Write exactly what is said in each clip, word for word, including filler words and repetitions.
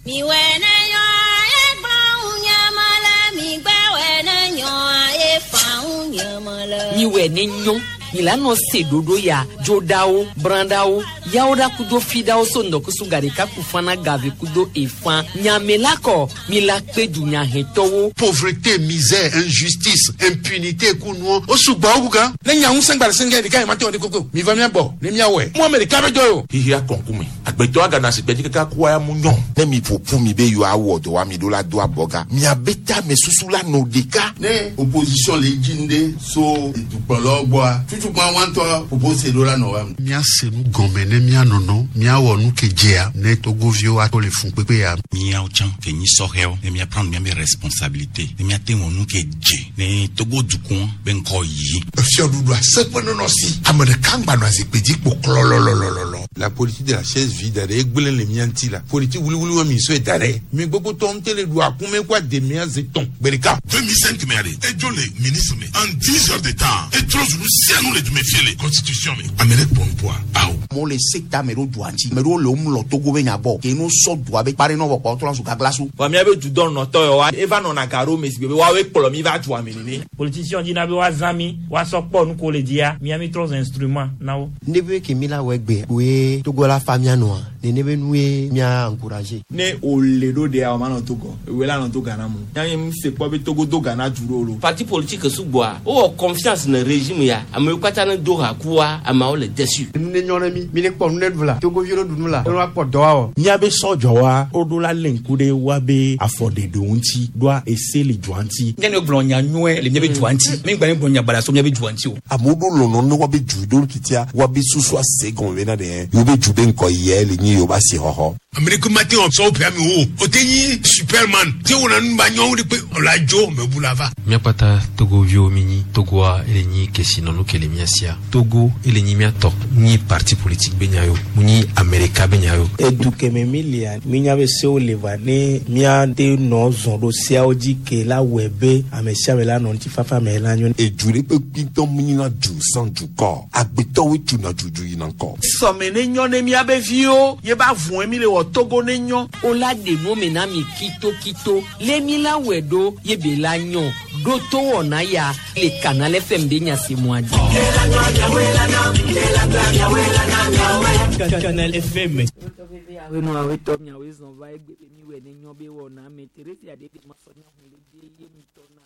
Miwɛ ne nyɔ milano se dodo ya dzodawo brandawo yawoɖa kudo fidawo so ŋdɔkusu gaɖeka kufana gave kudo efã nyamela kɔ mila kpe dunyahetɔwo. Pauvreté, misère, injustice, impunité kunuɔ o sugbɔ o kukan. Ne nya ŋusẽ gba le sɛngɛ ɖeka yi ma te wɔ de koko mi va mía gbɔ ne míawɔe mu ame ɖeka bɛ jɔ o. Xixia kɔnkume agbetɔ agana si gbɛdzi kaka kua ya mu nyɔ. Ne mi ƒoƒu mi be yewoawɔ dɔ wa mi ɖo la do abɔga miabe tame susu la nɔ ɖeka. Ne opposition le dzi ŋɖe so dukplɔlawo gbɔa tutukpa wa ŋutɔ propose ɖo la nɔ wa. Míase nu gɔme ne míanɔnɔ míawɔ nu ke dzea ne togoviwo ato le fun kpekpe ya. Míawo tsã ke nyi sɔhɛwo ne míaprendre míabe responsabilité ne míate wɔ nu ke dze ne Togo dukɔ be ŋkɔ yi. Efiɔɖuɖu aseƒe nɔnɔ si ame ɖeka ŋgba nɔ azikpui dzi kpo klɔlɔlɔlɔlɔ. La politique de la chaise vide ɖe egblẽ le mía ŋuti la politique wuliwuli wa mi sɔe da ɖe mi gbogbo tɔ ŋute le ɖu akume kó ademea ze tɔn gbe ɖeka. deux mille cinq mɛ ale edzo le ministre me en dix heures de temps etrɔ zu nu sia nu le dume fie le constitution me ame ɖe kpɔ nupoa awo. Amewo le se ta ame ɖewo dua ŋuti ame ɖewo le wo mlɔ Togo be nya gbɔ ke no sɔ dua be kpa ɖe nɔ vɔ kpɔ trɔ zu gaglasu. Vɔ míabe dudɔnɔtɔ yawoa eva nɔna ga ɖo me si gbe be woawoe kplɔ mi va dua me nene. Politicien dina be woazã mi woasɔ kpɔ nu ko le dzia mía mi trɔ zu instrument na wo. Ne be ke mi la wɔ egbe koe Togo la fa mía nɔa nene be nue mía encourager. Ne o le ɖo ɖea o ma nɔ Togo ewoe la nɔ to Ghana mo yanyi mi se kpɔ be Togo do Ghana du ɖo lo. Parti politique sugbɔa wowɔ confiance ne régime ya amewo katã ne do ha kua ameawo le déçu. Nu ne nyɔ ne mi mi ne kpɔ nu ne ɖu la togoviwo ne ɖu nu la ne wa kpɔ dɔ wa wɔ. Míabe sɔdzɔwa woɖo la lé ŋku ɖe woabe afɔɖeɖewo ŋuti ɖoa ese le dua ŋuti. Míabe gblɔ nya nyuie le míabe dua ŋuti mi gba mi gblɔ nya baɖa so míabe dua ŋuti o. Amewo ɖo lɔlɔ ne woabe du ɖo titia woabe susu ase gɔme bena ɖe yewobe du be ŋkɔ yɛ le nyi yewobe asixɔxɔ. Amerika ma te wɔ sɔwɔ ƒe ame wo o te nyi superman te wɔna nu ba nyɔnu de kpe ɔla dzo mɛ bu la va. Míakpata togoviwo mi nyi Togoa ele nyi kesinɔnu ke le mía sia Togo ele nyi míatɔ nyi parti politique be nya yo mu nyi Amerika be nya yo. Edu kɛmɛ mi lia mi nya be sewo le va ne míate nɔ zɔn ɖo seawo dzi ke la wɔe be ame sia ame la nɔ ŋutifafa me la nyo. Edu ɖe ƒe kpitɔ mu nyina du sans dukɔ agbetɔwoe tuna dudu yina ŋkɔ. Sɔme ne nyɔ ne míabe viwo ye ba vɔe mi le wɔ Togo ne nyɔ. O la ɖe nu me na mi kitokito le mi la wɔe ɖo ye be la nyɔ ɖo to wɔna ya le Canal F M be nyasemua dzi. Canal F M. Awenu awetɔ miawoe zɔn va egbe be mi wɔ ne nyɔ be wɔna me Teresia ɖe de ma sɔ nya hun le de ye mi tɔ na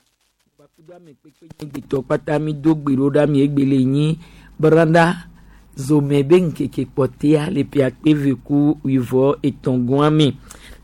gbakudo ame kpekpe nye gbetɔ kpata mi do gbe ɖo ɖa mi egbe le nyi branda zome be ŋkeke kpɔtea le ƒe akpe ve ku wuivɔ etɔ̃ me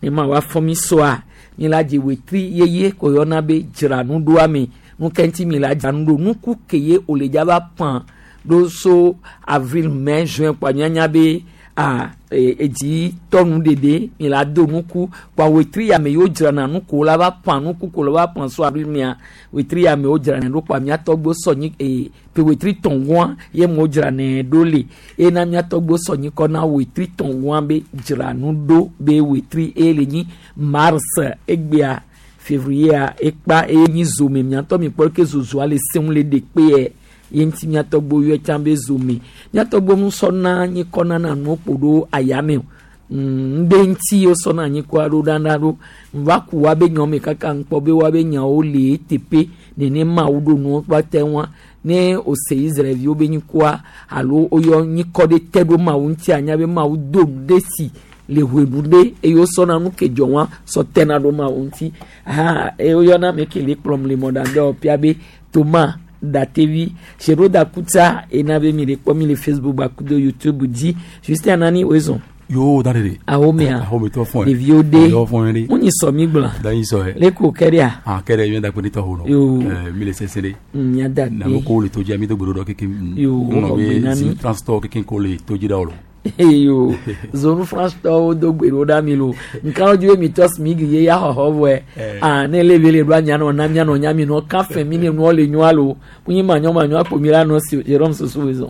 ne ma wa fɔ mi sɔa mi la dze wetri yeye ko yɔna be dzra nu ɖoa me nu ke ŋuti mi la dzra nu ɖo nuku ke ye wòle dzaba pã ɖo so avril, mai, juin kpa mianya be a edzi tɔnu ɖeɖe mi la do nuku kpa wetri ya me yewo dzrana nuku la va pã nuku ko la va pã so avril mea wetri ya me wo dzrana ɖo kpa miatɔgbo sɔ nyi ee pe wetri tɔngua ye mo dzrana ɖo le ena miatɔgbo sɔ nyi kɔ na wetri tɔngua be dzra nu ɖo be wetri eye le nyi mars egbea février ekpa eye nyi zome miatɔ mi kpɔ ke zozoa le seŋu le ɖe kpe yɛ ye ŋuti miatɔgbo yɔ tsã be zome miatɔgbo nusɔna nyikɔ nana nuwo ƒo ɖo ayame o ŋɖe ŋuti wosɔna nyikɔa ɖo ɖaɖa ɖo nva ku wa be nyɔme kaka ŋkpɔ be wa be nyawo le eteƒe nenema wo ɖo nuwo kpata wa ne ose Israelviwo be nyikɔa alo woyɔ nyikɔ ɖe te ɖo Mawu ŋuti anya be Mawu do nu ɖe si le ʋenu ɖe eye wosɔna nu ke dzɔ wa sɔ tena ɖo Mawu ŋuti ha eye woyɔna ame ke le kplɔm le mɔɖaŋdɔwɔƒea be Toma Datevi Seroda Kutsa ena be mi le kpɔ mi le Facebook bakudo YouTube dzi Justin Anani wezɔn. Yo da de. Ahomea. Ahome tɔ fɔn. Ɖeviwo de. Ɖeviwo fɔn de. Mun yi sɔ mi gblɔ. Da yi sɔ yɛ. Le ko kɛ de a. Ah kɛ de mi da kpe ne tɔ ho nɔ. Yo. Ɛɛ mi le sɛsɛ de. Mia da Na mo ko le to dzi mi do gbedo dɔ keke. Yo, ŋlɔ xɔ be gbe na mi. zi transport keke ko le to dzi da o lo. Eyo zonu France tɔwo do gbe ɖo ɖa mi lo nkawo dzi be mi tɔ smig ye ya xɔxɔ vɔe ah ne le bi le ɖo anya nɔ na mia nɔ nya mi nɔ kafe mi ne nua le nyoa lo munyi manyɔ manyɔ akpo mi la nɔ si Jerome soso wezɔn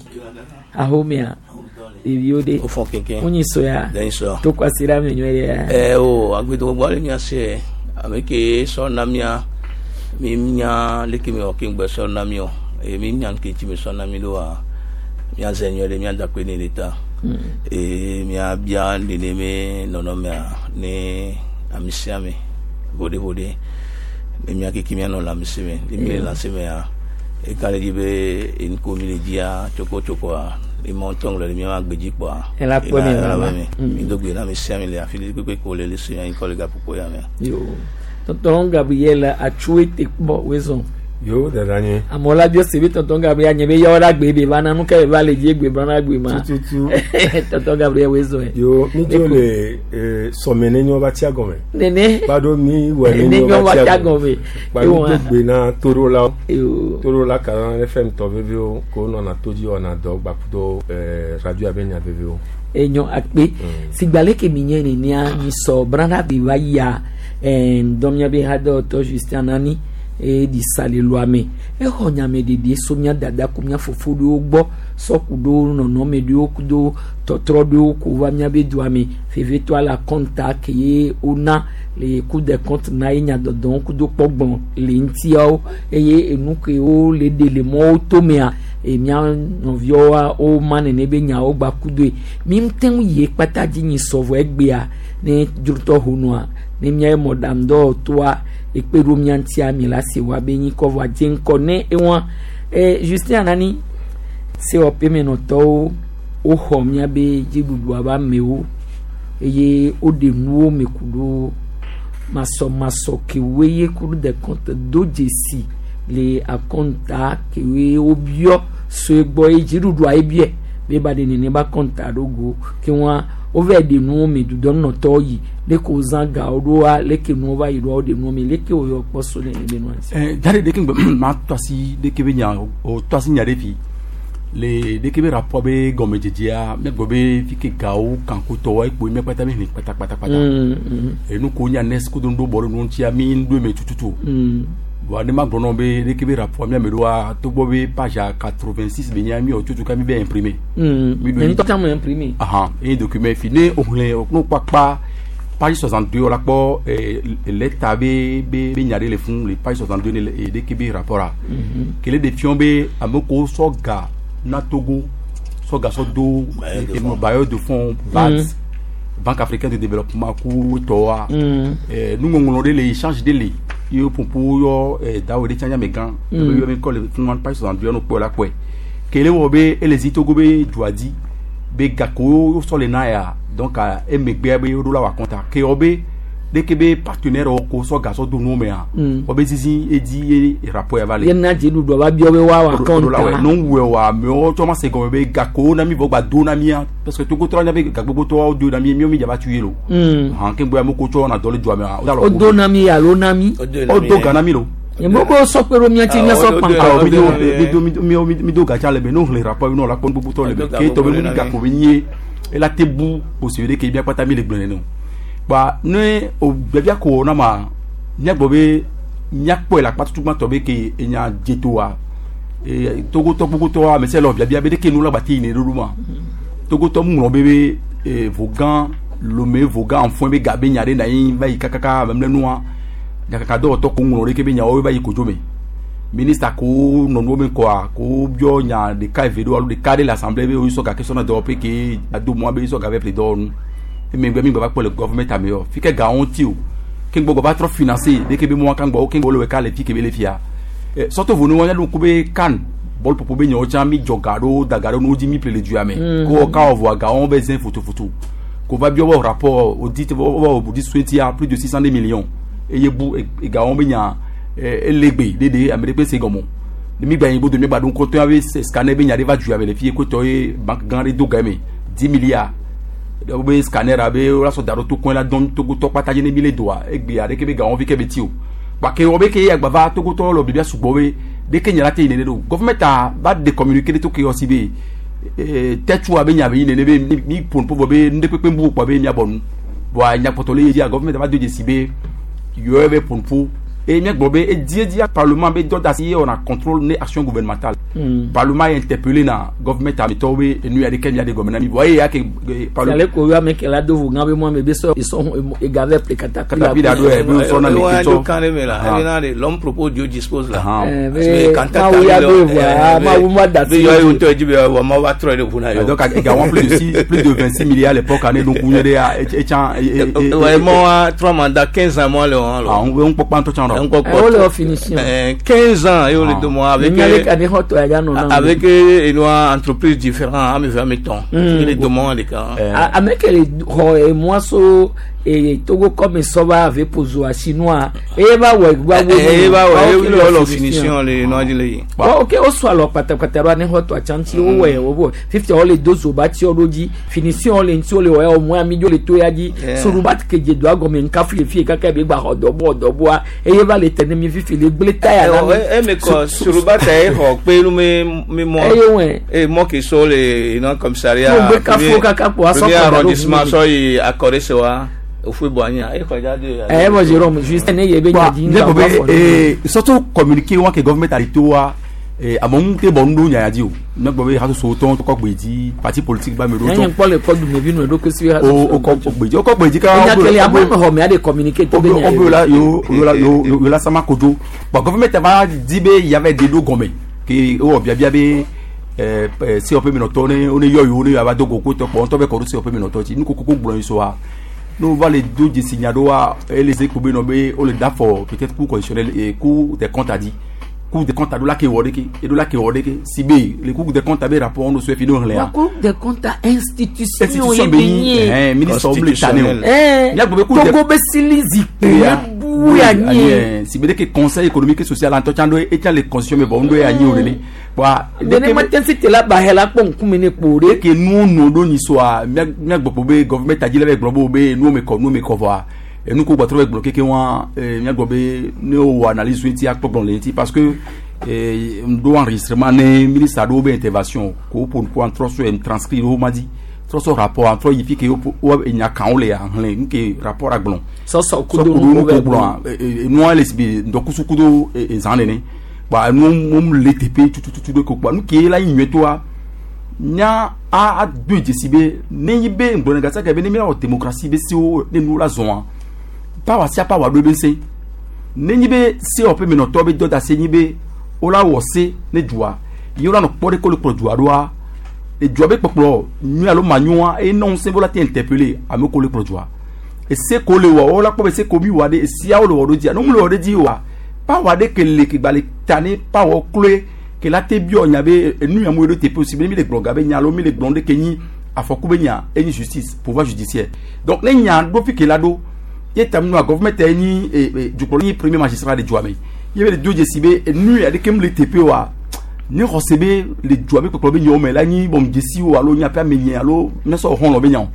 ahomea ɖeviwo de O fɔ kɛnkɛn. munyi soya Dɛn sɔ. to kwasi ɖa mi nyuie ɖe. Ɛ o agbedo gbɔ le mia se ame ke sɔ na mia mi nya leke mi wɔ ke ŋgbɛ sɔ na mi o eye mi nya ke tsi mi sɔ na mi ɖo wa mia zɛ nyuie ɖe mia da kpe ne le ta eye mia bia nene me nɔnɔmea ne Ame sia ame voɖevoɖe ne mía keke míanɔ lãmesẽ me ne mi le lãmesẽ mea eka ɖe dzi be enu ko mi le dzia tsokotsokoa ema ŋutɔ le míaƒe agbe dzi kpɔa Ela kpɔ mi ela vava. mi mi do gbe na ame sia ame le afi ɖe kpekpe ko le le se anyi kɔ le gaƒoƒo ya mea. Yo. Tonton Gabriel atsu ete kpɔ wezɔn. Yo dada nye. Amewo la biɔ se be tonton Gabriel nye be yawo la gbe be va na nu ke va le dzi egbe brana gbe ma. Tututu. Tonton Gabriel wezɔn. Yo mi dzo le eh, sɔmɛ ne nyɔ ba tia gɔmɛ. Nene. Kpado mi wɛ ne Ne nyɔ nyɔ ba ba tia tia gɔmɛ. gɔmɛ. Kpado Ewa. do gbe na torola. Yo. Torola kalan F M tɔ vevewo ko nɔna to dzi wɔna dɔ gbakudo eh, radio abe nya vevewo. Enyo akpe sigba leke mi nye nenea mi sɔ brana be va yia eh, dɔmia be hadɔtɔ Justin Nani eye di sa le lɔa me exɔ nyame ɖeɖe so mía dada ku mía fofo ɖewo gbɔ sɔ ku ɖo nɔnɔme ɖewo ku ɖo tɔtrɔ ɖewo ko va mía be dua me vevetɔa la kɔnta ke ye wona le Cour des comptes na ye nyadɔdɔwo ku do kpɔgbɔn le ŋutiawo eye enu kewo le ɖe le mɔwo tomea e mía nɔviawoa woma nene be nyawo gba ku doe mi ŋute ŋu yi kpata dzi nyi sɔvɔ egbea ne dzrotɔ honua ne mía mɔɖaŋudɔwɔtɔa ekpe ɖo mía ŋutia mi la se wa be nyi kɔ vɔa dze ŋkɔ ne ewa e Justin Anani C O P menɔtɔwo woxɔ mía be dziɖuɖua be amewo eye woɖe nuwo me ku ɖo masɔmasɔ kewoe ye Cour des comptes do dzesi le akɔnta kewoe wobiɔ so egbɔ ye dziɖuɖua ye biɛ be ba ɖe nene ba kɔnta ɖo go ke wa wova ɖe nuwo me dudɔnɔtɔwo yi leke wozã gawo ɖoa leke nuwo va yi ɖoa woɖe nuwo me leke woyɔ kpɔ so nene be nua ŋuti. Eh, jare ɖeke ŋgbe ma tɔ asi ɖeke be nya o tɔ asi nya ɖe fi le ɖeke be rapport be gɔmedzedzea míagblɔ be fi ke gawo kankotɔwo ekpo mía kpata mi hlẽ kpatakpatakpata Mm, mm. enu ko nya nes kudo ŋɖo bɔ ɖe nu ŋutia mi ŋɖo eme tututu Mm. bon ne ma gblɔ nɔ be ɖeke be rapport mía me ɖoa togbɔ be page a quatre-vingt-six be nya mi wɔ tutu ka mi bɛ imprimer Mm. Mi ɖo Nye ŋutɔ tsã me imprimer. Ahan eye document fi ne o hlẽ o no kpakpa page soixante-deux o la kpɔ eh, lɛta be be be nya ɖe le fún le page soixante-deux ne le eh, ɖeke be rapport a Mhm. kele de fiɔ be ame ko sɔ ga na Togo sɔ ga sɔ do eh, bailleur de fonds B A D, Mm. Banque africaine de développement ku tɔwa Mm. eh, nuŋɔŋlɔ ɖe le échange ɖe le ye popo yɔ eh, dawo ɖe tsã nyame gã Mm. ebe yɔ mi kɔ le fún page soixante-deux no kpɔe la kpɔe kele wɔ be ele zi Togo be dua dzi be gako sɔ le na ya donc ah, emegbea be woɖo la wɔ akɔnta ke wɔ be ɖeke be partenaire wo ko sɔ ga sɔ do nuwo mea Mm. wɔ be zizi edi ye rapport ya va le ye na dziɖuɖua va biɔ be woawɔ akɔnta. no wue wa amewo tsɔ ma se gɔme be gako na mi vɔ gba do na mia parce que Togo tɔ nya be gagbogbo tɔwo do na mi miwo mi dzaba tu ye lo Mm. hàn ke gbɔ ame ko tsɔ na dɔ le dua mea o do na mi alo na mi. o do ga na mi lo nye mo ko sɔ kpe ɖo mía ŋuti mía sɔ kpankpa. awɔ mi do mi do mi do mi mi do gatsa le me n'o hlẽ rapport bi n'o la kpɔ gbogbo tɔ le me ke tɔ be nu gako be nye ela te bu kposi ɖe ke bia kpata mi le gblẽ nene o gba ne o biabia ko na ma míagbɔ be míakpɔe le akpa tutu gbãtɔ be ke enya dzetoa ee Togotɔ gbogbotɔ ame sia le wɔ biabia be ɖeke nu la gba te yi ne ɖoɖo ma Togotɔ mu ŋlɔ be be ee Vogan Lomé Vogan Anfoin be ga be nya ɖe na anyi va yi kakaka memlɛnua nyakaka dɔwɔtɔ ko ŋlɔ ɖeke be nyawo va yi kodzo me minista ko nɔnuwo me kɔa ko biɔ nya ɖeka eve ɖo alo ɖeka ɖe le assemblée be woyisɔ gake sɔna dɔwɔƒe ke ado mɔa be yisɔ ga vɛ ƒle dɔwɔnu emegbe mi gbava kpɔ le gouvernement ame yɔ fi ke gawo ŋuti o ke gbɔ va trɔ financer ɖeke be mɔa kan gbɔ ke gbɔ le wɔ ka le fi ke be le fia ɛ sɔto vo ne wɔn nya ko be kan bɔl popo be nyawo tsã mi dzɔ ga ɖo da ga ɖo n'o dzi mi ƒle le dua me Mm. ko ka wɔ vɔa gawo be zẽ fotofoto ko va biɔ wɔ rapport audit wɔ audit soetia plus de six cent millions eye bu egawo be nya ɛ elegbe ɖeɖe ame ɖe kpe se gɔmɔ mi gba yi bodo mi gba ɖo ŋkɔtɔ be scanner be nya ɖe va dua me le fie kotɔ ye banque gã ɖe do ga me dix milliards wo be scanner abe wola sɔ da ɖo to kɔe la dɔn Togotɔ kpata dzi ne mi le doa egbea ɖeke be gawo fi ke be ti o gbake wɔ be ke ye agbava Togotɔ le bibia sugbɔ be ɖeke nya la te yi nene ɖo gouvernement ta va de communiquer ɖe to ke yɔ si be ee tɛtsua be nya be yi nene be mi mi ƒo nu ƒo be nu ɖe kpekpe bu kpɔ be miabɔ nu voa nyakpɔtɔ le ye dzia gouvernement va do dzesi be yɔ be ƒo nu ƒo Et miagblɔ be ediedia parlement be dɔ da si ye wɔna contrôle ne action gouvernementale. Mm. Parlement ye interpellé na government ametɔwo be enu ya ɖeke mia ɖe gɔme na mi vɔ eye ya ke eh, parlement Ale ko ame ke la do vo gã be mo ame be sɔ sɔ ega vɛ ple katapila. Katapila ɖo ɛ, be wosɔ na Eh, ouais, le do ketɔ. kan de me la. Ah. Eh, na de, L'homme propose, Dieu dispose là. Ah. Eh, Parce que be- quand t'as Mawu ya le- be voa, eh, Mawu ma da be si yɔ o. ye wotɔ dzi be wɔ ma va trɔ ɖe ʋu na Eh, yɔ. donc également plus de six, plus de vingt-six milliards à l'époque année donc on est à et et Ouais, moi, trois mandats, quinze ans, moi, le on, ah on on pokpa ntɔ tsã On ɖɔ kpɔ Eh, wole wɔ finition. Eh, quinze ans, et on les deux mois avec Miale ka ne xɔ tɔ ya dza nɔ na. avec euh, une entreprise différente, ame ve ame tɔn. Mm. Les deux mois, les cas. A- ame ke le xɔ emɔa so e Togo kɔme sɔba ave pozo chinois eye va wɔ va wo. Eh, va wɔ, ye wole wɔ finition le nua dzi le yi. Wɔ ok wosɔ alɔ kpatakpata ɖo ane xɔ tɔ atsanti wowɔe wobo fifty wole do zoba tsi ɖo dzi finition le ŋuti wole wɔ ya omɔ ami dzo le to ya dzi Yeah. soruba kedze doa gɔme nkafu le fie kaka be gba xɔ dɔbɔ dɔbɔa eye va le tene mi fifi le gble taya na mi. eme kɔ suruba ta ye xɔ kpe nu mi mi mɔ. Eye wɛ. E mɔ ke so le ina commissariat. Mo gbe kafo kaka kpo asɔ Premier kɔ da ɖo arrondissement ʋu mi. sɔ yi akɔre se wa ofue bɔ anyi e xɔ dza de. Eh, mo Jérôme juste ne ye be nya dzi ne ŋgba ko va be fɔ ne. eh surtout communiquer wa ke government a to wa eh amewo te bɔ nu ɖo nya ya dzi o ne gbɔ be hasoso tɔn kɔ gbe dzi parti politique ba me ɖo Nye tɔn kpɔ le kɔ dumevi nu eɖokui si o o kɔ gbe dzi o kɔ gbe dzi ka Enya kele ame xɔ me aɖe communiquer to be nya o ye. be la yo yo la yo yo la sama kodzo bon government va di be yavɛ de ɖo gɔme ke ewɔ biabia be ɛɛ ɛɛ C O P menɔtɔ ne wo ne yɔ yewo ne yava do go ko tɔ kpɔ ŋutɔ bɛ kɔ ɖo C O P menɔtɔ dzi nukokoko gblɔ yi so wa n'o va le do dzesi nya ɖo wa ele ze ko be nɔ be wo le da fɔ peut-être cour constitutionnelle et cour des comptes a di cour des comptes a ɖo la ke wɔ ɖeke eɖo la ke wɔ ɖeke si be le cour des comptes a be rapport no so efi ne wo xlẽa Wa cour des comptes institution institution ye be be nyi nye. ɛhɛn ministre wo le ta ne o Eh, Miagblɔ be cour des Togo be sili zikpui Ya. bu ya nye. si be ɖeke conseil économique et social ŋutɔ tsã ɖo etsã le constitution me vɔ ŋu ɖo ya nyi o nene wa Nenema te si te la ba he la kpɔ ŋkume ne kpo ɖe. ke nuwo nu ɖo nyi soa mía míagbɔ be gɔvɛmɛnt adzi le be gblɔ be wo be nuwo me kɔ nuwo me kɔ vɔa enu ko gbɔtrɔ be gblɔ keke wa míagbɔ be ne wowɔ analyse ŋuti akpɔ gblɔ le ŋuti parce que eh, ŋɖo enregistrement ne ministre aɖewo be intervention ko woƒo nu ko trɔ so transcrit wo ma dzi trɔ sɔ rapport trɔ yi fi ke wo wo enya kan le ahlẽ nu ke rapport a gblɔ Sɔsɔ kudo sɔ nu kudo nu ko ko bɛ gblɔa nua le si be ŋdɔkusu kudo zã nene kpa nu mu le teƒe tututu ɖo ko kpa nu ke la yi nyuietɔa nya a ado dzesi be ne yi be ŋgblɔne gasa ke be ne míawɔ démocratie be sewo ne nu la zɔa pawa sia pawa ɖo be se ne nyi be C O P menɔtɔ be dɔ da se nyi be wola wɔ se ne dua ye wola nɔ kpɔ ɖe ko le kplɔ dua ɖoa edua be kpɔkplɔ nyui alo manyoa eye ne ŋusẽ be wola te interpeller ame ko le kplɔ dua ese ko le wɔ wola kpɔ be se ko mi wɔ ɖe esiawo le wɔ ɖo dzia ne mu le wɔ ɖe dzi oa pawa ɖe ke le ke gba le ta ne pawa kloe ke la te biɔ nya be enu ya mu ɖo teƒe osi be mi le gblɔ ga be nya alo mi le gblɔ ɖe ke nyi afɔku be nya enyi justice, pouvoir judiciaire. Donc ne nya ɖo fi ke la ɖo ye ta nua gɔvɛmɛnt ye nyi eh, eh, dukplɔla nyi premier magistrat le dua me ye be le do dzesi be enu ya ɖeke mu le teƒe oa ne xɔse be le dua be kpɔkplɔ be nyawo me la nyi bɔn dzesi o alo nya ƒe ame nye alo míasɔ xɔlɔ be nya o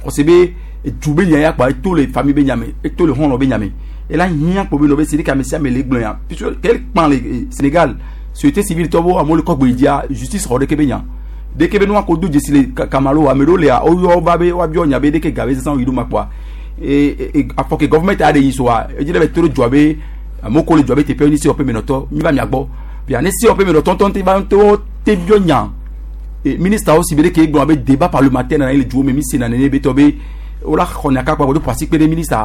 xɔse be edu be nya ya kpa eto le famille be nya me eto le xɔlɔ be nya me ela hiã kpo be nɔ be si ɖeke ame sia ame le gblɔ ya puisque quel kpan le eh, Sénégal société civile tɔ bo amewo le kɔ gbe dzia justice xɔ ɖeke be nya ɖeke be nua ko do dzesi le ka- kamalo ame ɖewo lea woyɔ va be woabiɔ nya be ɖeke ga be zazã yi ɖo ma kpoa e e afɔ ke gɔvɛmɛnt aɖe yi soa edzi ɖe be to ɖo dua be amewo ko le dua be teƒe ni C O P menɔtɔ mi va mia gbɔ bia ne C O P menɔtɔ ŋutɔ te va ŋutɔ te biɔ nya e ministre si be ɖeke gblɔ be débat parlementaire nana ye le duwo me mi se na nene be tɔ be wola xɔ nya kakpa do ƒo asi kpe ɖe ministre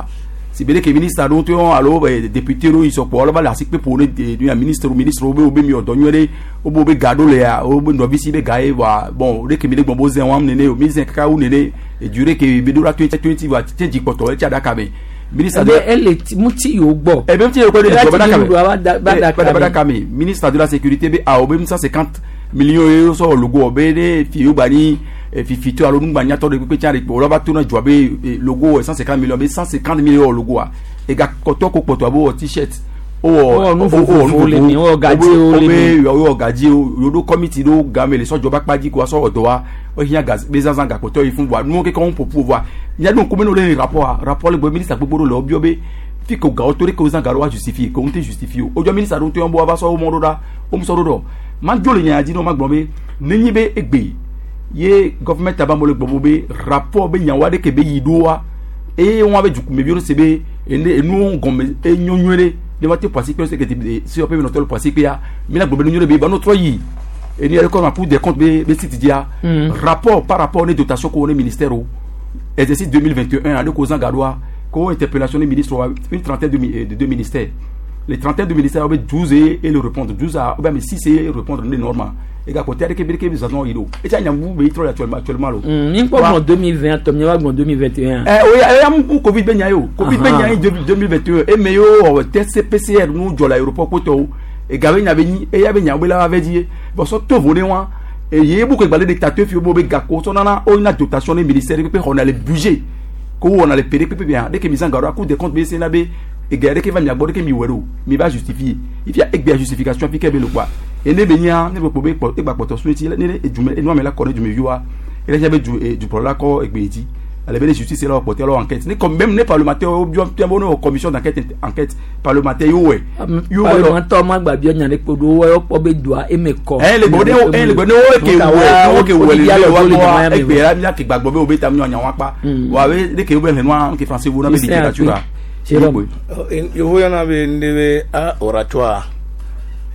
si be ɖeke ministre aɖewo ŋutɔ alo eh, député ɖewo yi sɔkpɔ wole va le asi kpe ƒo ne de nu ya ministre ministre wo be wo be mi wɔ dɔ nyuie ɖe wo be wo be ga ɖo le ya wo be nɔvi si be ga ye voa bon ɖeke mi ɖe gbɔn bo zẽ wɔm nene o mi zẽ kaka wu nene edu ɖe ke be ɖo la to twenty voa tse dzikpɔtɔ etsi aɖaka me ministre Ebe ele ti ŋuti yiwo gbɔ. ebe ŋuti yiwo gbɔ ɖe Ela dua ti be ɖuɖua va da- va ɖaka ɖaka me me. ɖaka me ministre de la sécurité be awo be cent cinquante millions ye sɔ logo be ne fi yewo gba ni eh, fifitɔ alo nugbanyatɔ ɖe kpekpe tsã ɖe kpe wòle va to na dua be eh, logo cent cinquante millions be cent cinquante millions wɔ logoa ega kɔtɔ ko kpɔtɔ abe wɔ t-shirt Wowɔ nu vovovowo le mi, wowɔ gadziwo le mi. wowɔ gadziwo yewo ɖo committee ɖo game le sɔdzɔ be akpa dzi ko wasɔ wɔ dɔ wa wohiã ga be zazã gakpɔtɔ yi fún voa nuwo keke wɔm ƒoƒu voa míaɖo ŋkume ne wole rapport a rapport le gbɔ ministre gbogbo ɖo le wobiɔ be fi ko gawo to ɖe ke wozã ga ɖo wa justifie ko ŋu te justifie o wodzɔ ministre ɖo ŋutɔ bo va sɔ wo mɔ ɖo ɖa wo mu sɔ ɖo ɖɔ madzo le nya dzi ne wo ma gblɔ be nenyi be egbe ye gɔvɛmɛnt aba mo le gbɔ bo be rapport be nyawo aɖe ke be yi ɖo wa eye wɔn be dukumeviwo se be ene enuwo gɔme enyo nyuie ɖe Ne va te poasi kpe se ke si ope no to poasi kpe ya mi la gbe nu be ba no tro yi eni yɛrɛ kɔ ma Cour des comptes be be site dia Mm. rapport par rapport ne dotation ko ne ministère o exercice deux mille vingt et un ale ko zan gadoa ko interpellation ne ministre wa une trentaine de, mi- de deux ministères, les trentaine de ministères be douze et, et le répondre douze à ou bien mais six et répondre ne normal et ga côté ke be ke zazon ido et tia nyambu be tro actuellement actuellement lo. Mi kpɔ gblɔ deux mille vingt tɔ mi va gblɔ deux mille vingt et un. Eh oui, eh am Covid be nya yo. Covid be nya deux mille vingt et un et me yo test P C R nu jɔ l'aéroport ko e gabe nya be nyi e ya be nya be la va di bon so to vo ne wa e ye bu ko gbale dictateur fi bo be gako so nana o na dotation ne ministère pe on a le budget ko on a le P D P bien dès que mise en garde Cour des comptes be se na be e gare ke va mi agbo ke mi wero mi va justifier il y a egbe justification fi ke be le quoi e ne be nya ne be po be po e gba poto so ti ne ne ejume e no me la ko ne jume viwa e le be du du pro la ko egbe di ale be justice la porter leur enquête ni comme même les parlementaires ou bien bien bon commission d'enquête, enquête parlementaire yo ouais yo parlementaire ma gba bi nya ne kpo do wo kpɔ be doa eme kɔ. Eh le gbode eh le gbode o ke wo o ke wo le wa wa egbe la mi ke gbagbo be o be ta mi nya wa pa wa be de ke be le no ke français wo na be littérature la. Jérôme. Yovo yana be ndebe a oratoire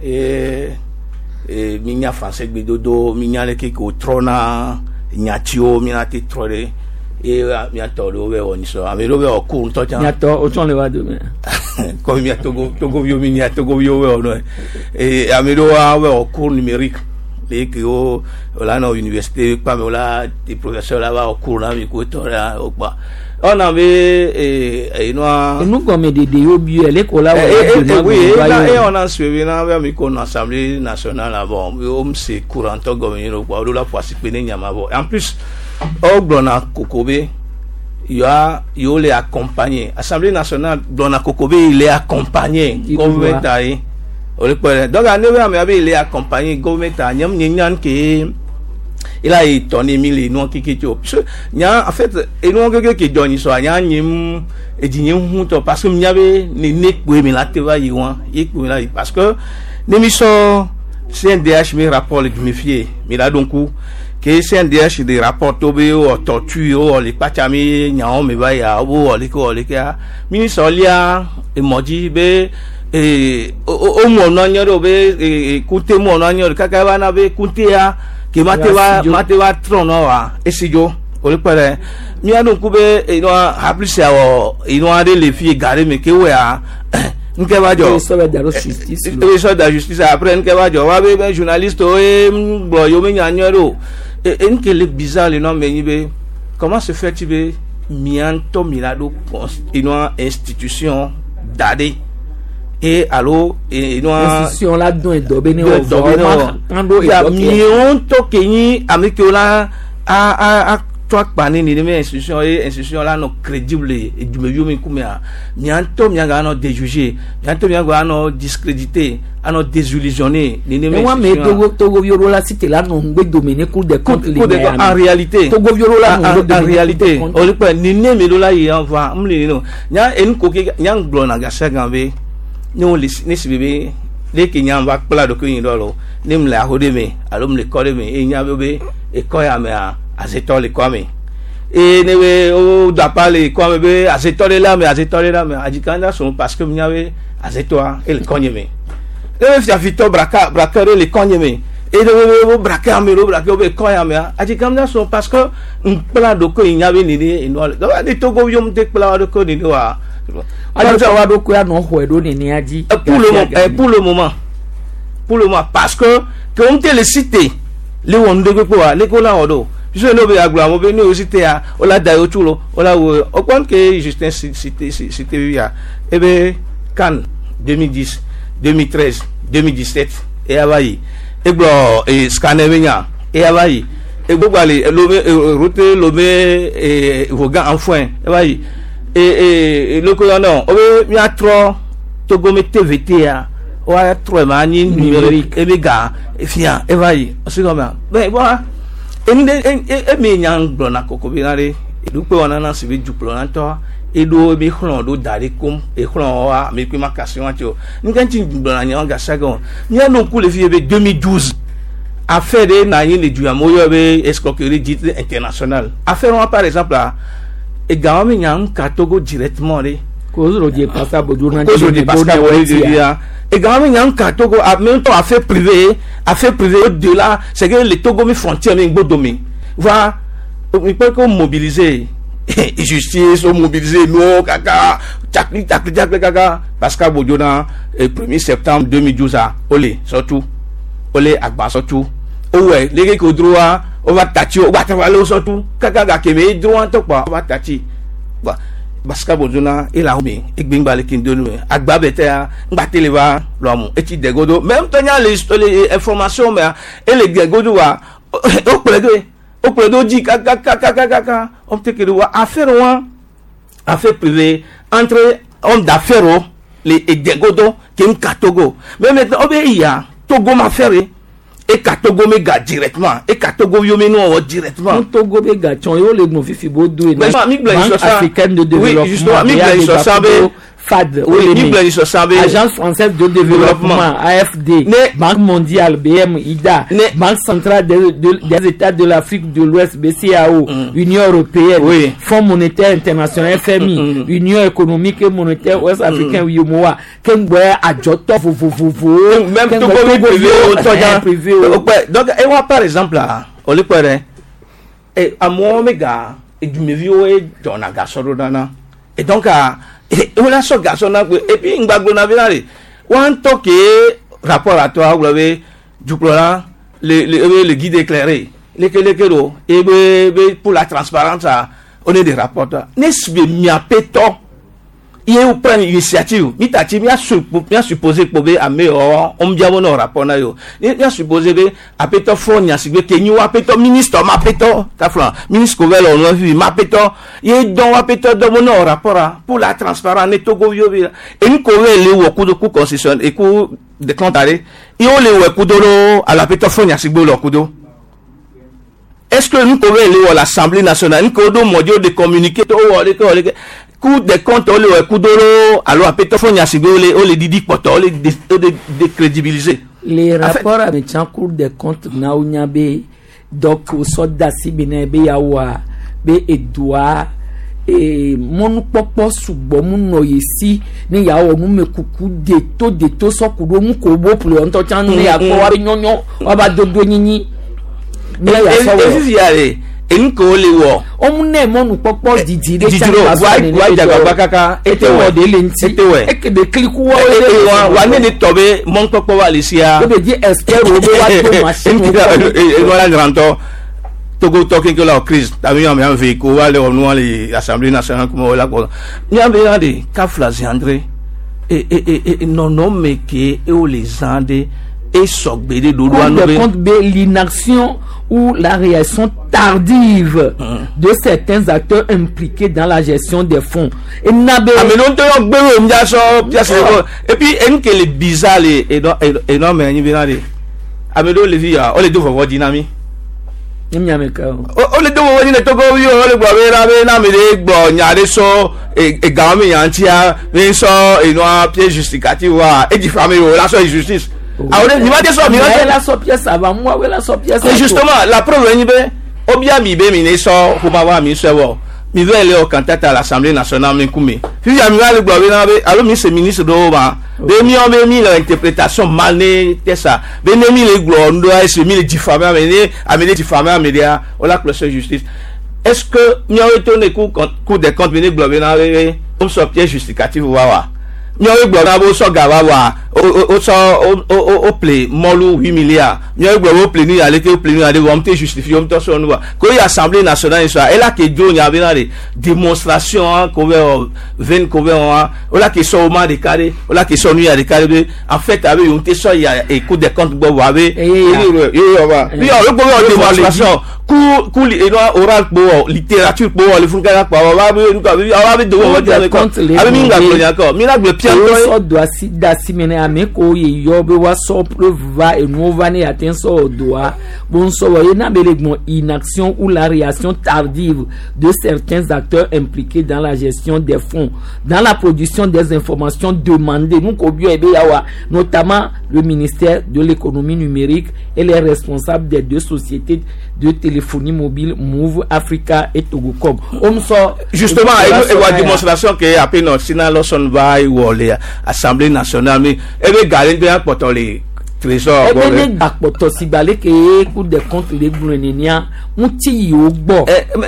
e e mi nya français gbedodo mi nya le ke ko trɔna nyatiwo mi na te trɔ ɖe ye miatɔ ɖewo bɛ wɔ nisɔ ame ɖewo bɛ wɔ ku ŋutɔ tsã. Miatɔ o tsɔn le wa dome. Comme mia Togo Togoviwo mi nya Togoviwo bɛ wɔ nɔ ye ame ɖewo hã bɛ wɔ cours numérique le ke wo la nɔ université kpame wo la te professeur la va wɔ cours na mi ko tɔ ɖe o kpa ɔna be ee enua. Enugɔme ɖeɖe yo bi yɛ leko la wɔ. Ee oui, e e ɔna suivi na bɛ mi ko nɔ Assemblée nationale la bon o mi se courant tɔ gɔme yin o kpa o do la ƒo asi kpe ne nyama bɔ. En plus o gblɔna koko be yoa yewo le accompagner Assemblée nationale gblɔna koko be il est accompagné gouvernement ye o le kpɔ dɛ. Donc ne be ame be il est accompagné gouvernement nye nye nya ke ila yi tɔ ne mi le enua keke tso parce que nya en fait enua keke ke dzɔ nyi sɔa nya nye mu edzi nye ŋu tɔ parce que nya be nene kpoe mi la te va yi wa ye kpoe mi la yi parce que ne mi sɔ C N D H mi rapport le dumi fie mi la ɖo ŋku ke C N D H de rapport to be wɔ torture wɔ le kpatsa mi nyawo mi va ya wo wɔ leke wɔ lekea mi sɔ lia emɔ dzi be ee o mɔ nɔ anyi ɖe o be ee kute mɔ nɔ anyi ɖe kaka va na be kutea ke ma te va ma te va trɔ nɔ wa esi dzo o le kpɔ ɖe mía ɖo ŋku be enua haplisi awɔ enua ɖe le fi ga ɖe me ke wɔa nke va dzɔ Eye sɔ da ɖo justice lo. Eye sɔ da justice après nke va dzɔ wa be be journaliste wo ye gblɔ yewo me nya nyuie ɖo o e nke le bizarre le nɔ me nyi be comment se fait-il be mía ŋutɔ mi la ɖo enua institution da ɖe e alo enua institution la dɔn edɔ be ne wɔ dɔ be ne wɔ kan ɖo ya edɔ kɛ. miwo ŋutɔ ke nyi ame kewo la a a atsɔ akpa ne nenema institution ye institution la nɔ crédible edumeviwo mi ŋkumea mia ŋutɔ mia ga nɔ déjuger, mia ŋutɔ mia ga nɔ discréditer, anɔ désillusionner nenema Ewa me institution Togo Togoviwo ɖo la si te la nɔ ŋugbe dome ne Cour des comptes le Cour des comptes, en réalité Togoviwo ɖo la nɔ en, ŋugbe en dome ne réalité Cour des comptes. O le kpɛ nene mi ɖo la yi yan va n le no nya enu ko ke nya gblɔ na gasi gan be ne wo le ne si be ne ke nya va kpla ɖokui nyi ɖɔ lo ne m le aho ɖe me alo m le kɔ ɖe me eye nya be be ekɔ ya mea azetɔ le kɔa me eye ne be wo do apa le kɔa me be azetɔ ɖe la me azetɔ ɖe la me adzika ŋda sɔn parce que nya be azetɔa ele kɔ nye me ne be fiafitɔ braka braka ɖe le kɔ nye me eye ne be wo brake ame ɖo brake wo be kɔ ya mea adzika ŋda sɔn parce que ŋkpla ɖokui nya be nene enua le donc ne Togo yom te kpla wa ɖokui nene wa. Alo wa ɖokui anɔ xɔe ɖo nenea dzi. pour le, mo- eh, pour le moment pour le moment parce que que on te le cité le wɔn de kpekpe wa le ko la wɔ do puisque n'o bɛ agblɔ amewo be ne o cité ya o la da yewo tsu lo o la wo o kpɔn ke Justin cité cité ya e bɛ CAN deux mille dix, deux mille treize, deux mille dix-sept e ya va yi e gblɔ e scanner bɛ nya e ya va yi e gbogbo ale Lomé route Lomé e Vogan Anfoin e va yi e e loko yɔ nɔ o bɛ miatrɔ Togo me T V T ya wa trɔ ma anyi numérique ebe ga efia eva yi ɔsi gɔmea bɛ bɔn enu de e emi nya gblɔna koko bi na ɖe edukpe wɔna na si be dukplɔ na tɔ eɖo ebe xlɔ ɖo da ɖe kom exlɔ wa ame kpe ma kasi wa tsi o nuka ŋuti gblɔna nya wa gasi gɔme mía ɖo ŋku le fi ye be deux mille douze affaire ɖe na anyi le du ya me woyɔ be escroquerie dite internationale affaire wa par exemple la egawo mi nya ŋka Togo directement ɖe. Kozro Pascal Bodo na Kozro Pascal Bodo ya. Et quand même, il y a un cas Togo, même temps affaire privée, affaire privée au-delà, c'est que le Togo mi frontière mi gbodomi. Voilà, il peut qu'on mobiliser justice, on mobiliser nous kaka, takli takli takli kaka. Pascal Bodo na premier septembre deux mille douze olé surtout, olé agba surtout. Ouais, les gars qui ont droit, on va tâcher, on va travailler surtout. Kaka gakeme droit en quoi, on va tâcher. Pascal Bodona et la omi et gbingba le kindonu agba bete ngba televa lo et ti degodo même temps les les informations mais et les degodo wa o pledo o pledo di kaka kaka kaka on te que wa affaire wa affaire privée entre homme d'affaires les et degodo qui un Togo mais maintenant obé ya Togo m'a faire et Katogo me ga directement et Katogo yo me no directement Togo be ga tchon yo le fifi bodo Banque africaine de développement F A D, oui, Agence française de développement A F D, Banque mondiale B M I D A, Banque centrale des, de, des États de l'Afrique de l'Ouest B C A O, mm. Union européenne, oui. Fonds monétaire international F M I, mm. Union économique et monétaire ouest africain U E M O A, Kengwe Adjoto vovovovo, même Togo privé, donc et moi par exemple là, on le peut et à moi méga et du mevieux et dans la garçon et donc à et on a ce garçon là et puis ngbagbo na vina le on toque rapport à toi vous avez du plan le le le guide éclairé le le le et pour la transparence on est des rapporteurs n'est-ce pas miapeto il est prendre initiative mi tati mi a supposé que a meilleur on bien bon rapport na yo mi a supposé be apeto fo nya sigbe ke nyi wa peto ministre ma peto ta flan ministre ko velo no vi ma peto ye don wa peto do mon rapport pour la transparence ne Togo yo bi et ni ko le wo ku do ku constitution et ku de compte et on le wo ku do à la peto fo nya sigbe lo ku do. Est-ce que nous pouvons aller à l'Assemblée nationale, nous pouvons modio de communiquer, Cour des comptes, on le coup d'oro, alors après, on les dit, on les décrédibiliser. Les rapports avec la Cour des comptes, donc, au sort d'Assi, Yawa, Edouard, et mon papa subo mon noyesi ne ya o nu mekuku de to de to so kudo mu ko bo plo onto chan ne ya ko wa nyonyo wa ba dodo nyinyi ne ya so wo e nko le wo o mu ne mo nu popo didi de chan wa wa jagba kaka ete wo de le nti ete e ke de kliku wo le wa wa ne ni tobe mon popo wa le sia o be di expert o be wa to machine e wa ranto Togo talking que la crise t'as un un véhicule aller au nous l'Assemblée nationale comme la quoi n'y avait rien de Kafla André et et et non non mais qui et où les Andes et sogbé de dodo compte l'inaction ou la réaction tardive de certains acteurs impliqués dans la gestion des fonds. Et n'abe ah mais non et puis en que les bizarre les et non et non mais ni bien amedo les vies on les deux vont dynamique. O le do wo ni Togo yo o le gbo be na be na mi le gbo nya le so e ga mi yan ti a mi so inu a pied justificatif wa e diffamé o la so justice. Ah on ni va te so mi la so pièce avant moi we la so pièce. Et justement la preuve ni be o bia mi be mi ni so ko ma wa mi so wo mi ve le o candidat à l'Assemblée nationale mi kumi. Fi ya mi va le gbo be na be alo mi se ministre do ba be mi on be mi l'interprétation mal né ça be ne mi le glo ndo a se mi le diffamé amené amené diffamé amédia on la clôture justice. Est-ce que mi on retourne coup cour des comptes be glo be na be on so pièce justificative wa wa mi on glo na bo so ga wa wa o so o o play molu huit milliards mi on glo o play ni ale ke o play ni ale on te justifier on to so nu wa ko assemblée nationale so elle a ke do nya be na de démonstration ko be vingt ko be on o la ke so ma de carré o la ke so nu ya de carré en fait avec on te so ya et cour des comptes gbo wa be e wa mi on gbo démonstration ku ku e no oral gbo littérature gbo le fun ka pa wa be nu ka wa be do wa de ko abe mi nga gbo nya ko mi la gbo so do asi da si mene ame ko ye yɔ be woasɔ preuve va enuwo va ne yeate ŋu sɔ wɔ dɔa bo ŋusɔ wɔ ye na be le gbɔn inaction ou la réaction tardive de certains acteurs impliqués dans la gestion des fonds dans la production des informations demandées nu ko biɔ ebe yawa notamment le ministère de l'économie numérique et les responsables des deux sociétés de téléphonie mobile Moov Africa et Togocom. Omso Justement, et la démonstration que après notre Sina Lawson va y wọlé Assemblée nationale mais e be gare be akpɔtɔ le trésor ebe ne akpɔtɔ sigba le ke Cour des comptes le gblɔ nenea ŋuti yi wo gbɔ.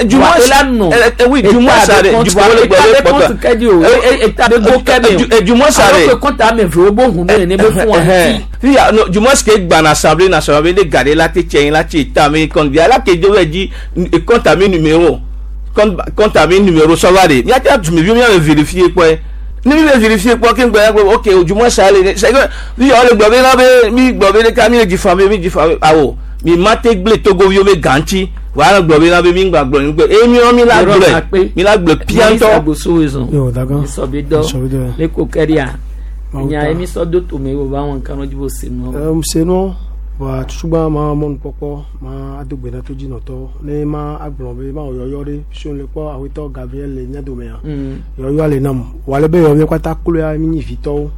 du moins la nɔ eh, oui du moins ça du moins le état be compte kɛ di o état be go kɛ mi o du moins ça alors que compte ame ve wo bo hun ne ne be fún wa ŋuti. Fia no du moins que gbana Assemblée nationale be ne gare la te tiɲɛ la ti ta mi compte bi ala ke do bɛ di compte ami numéro compte compte ami numéro sɔ va de miate dumeviwo miame vérifier kpɔe ne mi bɛ vérifier kpɔ ke ŋgbɛ ya gbɔ ok du moins ça le c'est que mi yɔ le gblɔ be na be mi gblɔ be ɖeka mi le diffamé mi diffamé awɔ mi ma te gble togoviwo be gãtsi wàhálà gblɔ be na be mi ŋgbà gblɔ ŋgbɛ eye mi mi la gblɔe mi la gblɔ piantɔ. Yo dagan. Sɔbidɔ. Le ko kɛria. Nya emi sɔ do tome wo ba wọn kanu dzi bo se nua. Um, se nua wa tutugbã ma mɔnukpɔkpɔ ma ado gbe na to dzinɔtɔ ne ma agblɔ be ma wɔ yɔyɔ ɖe fi le kpɔ awetɔ Gabriel le mía domea Mm. yɔyɔa le nam wòale be yɔ mía katã kloe mi nyi vitɔwo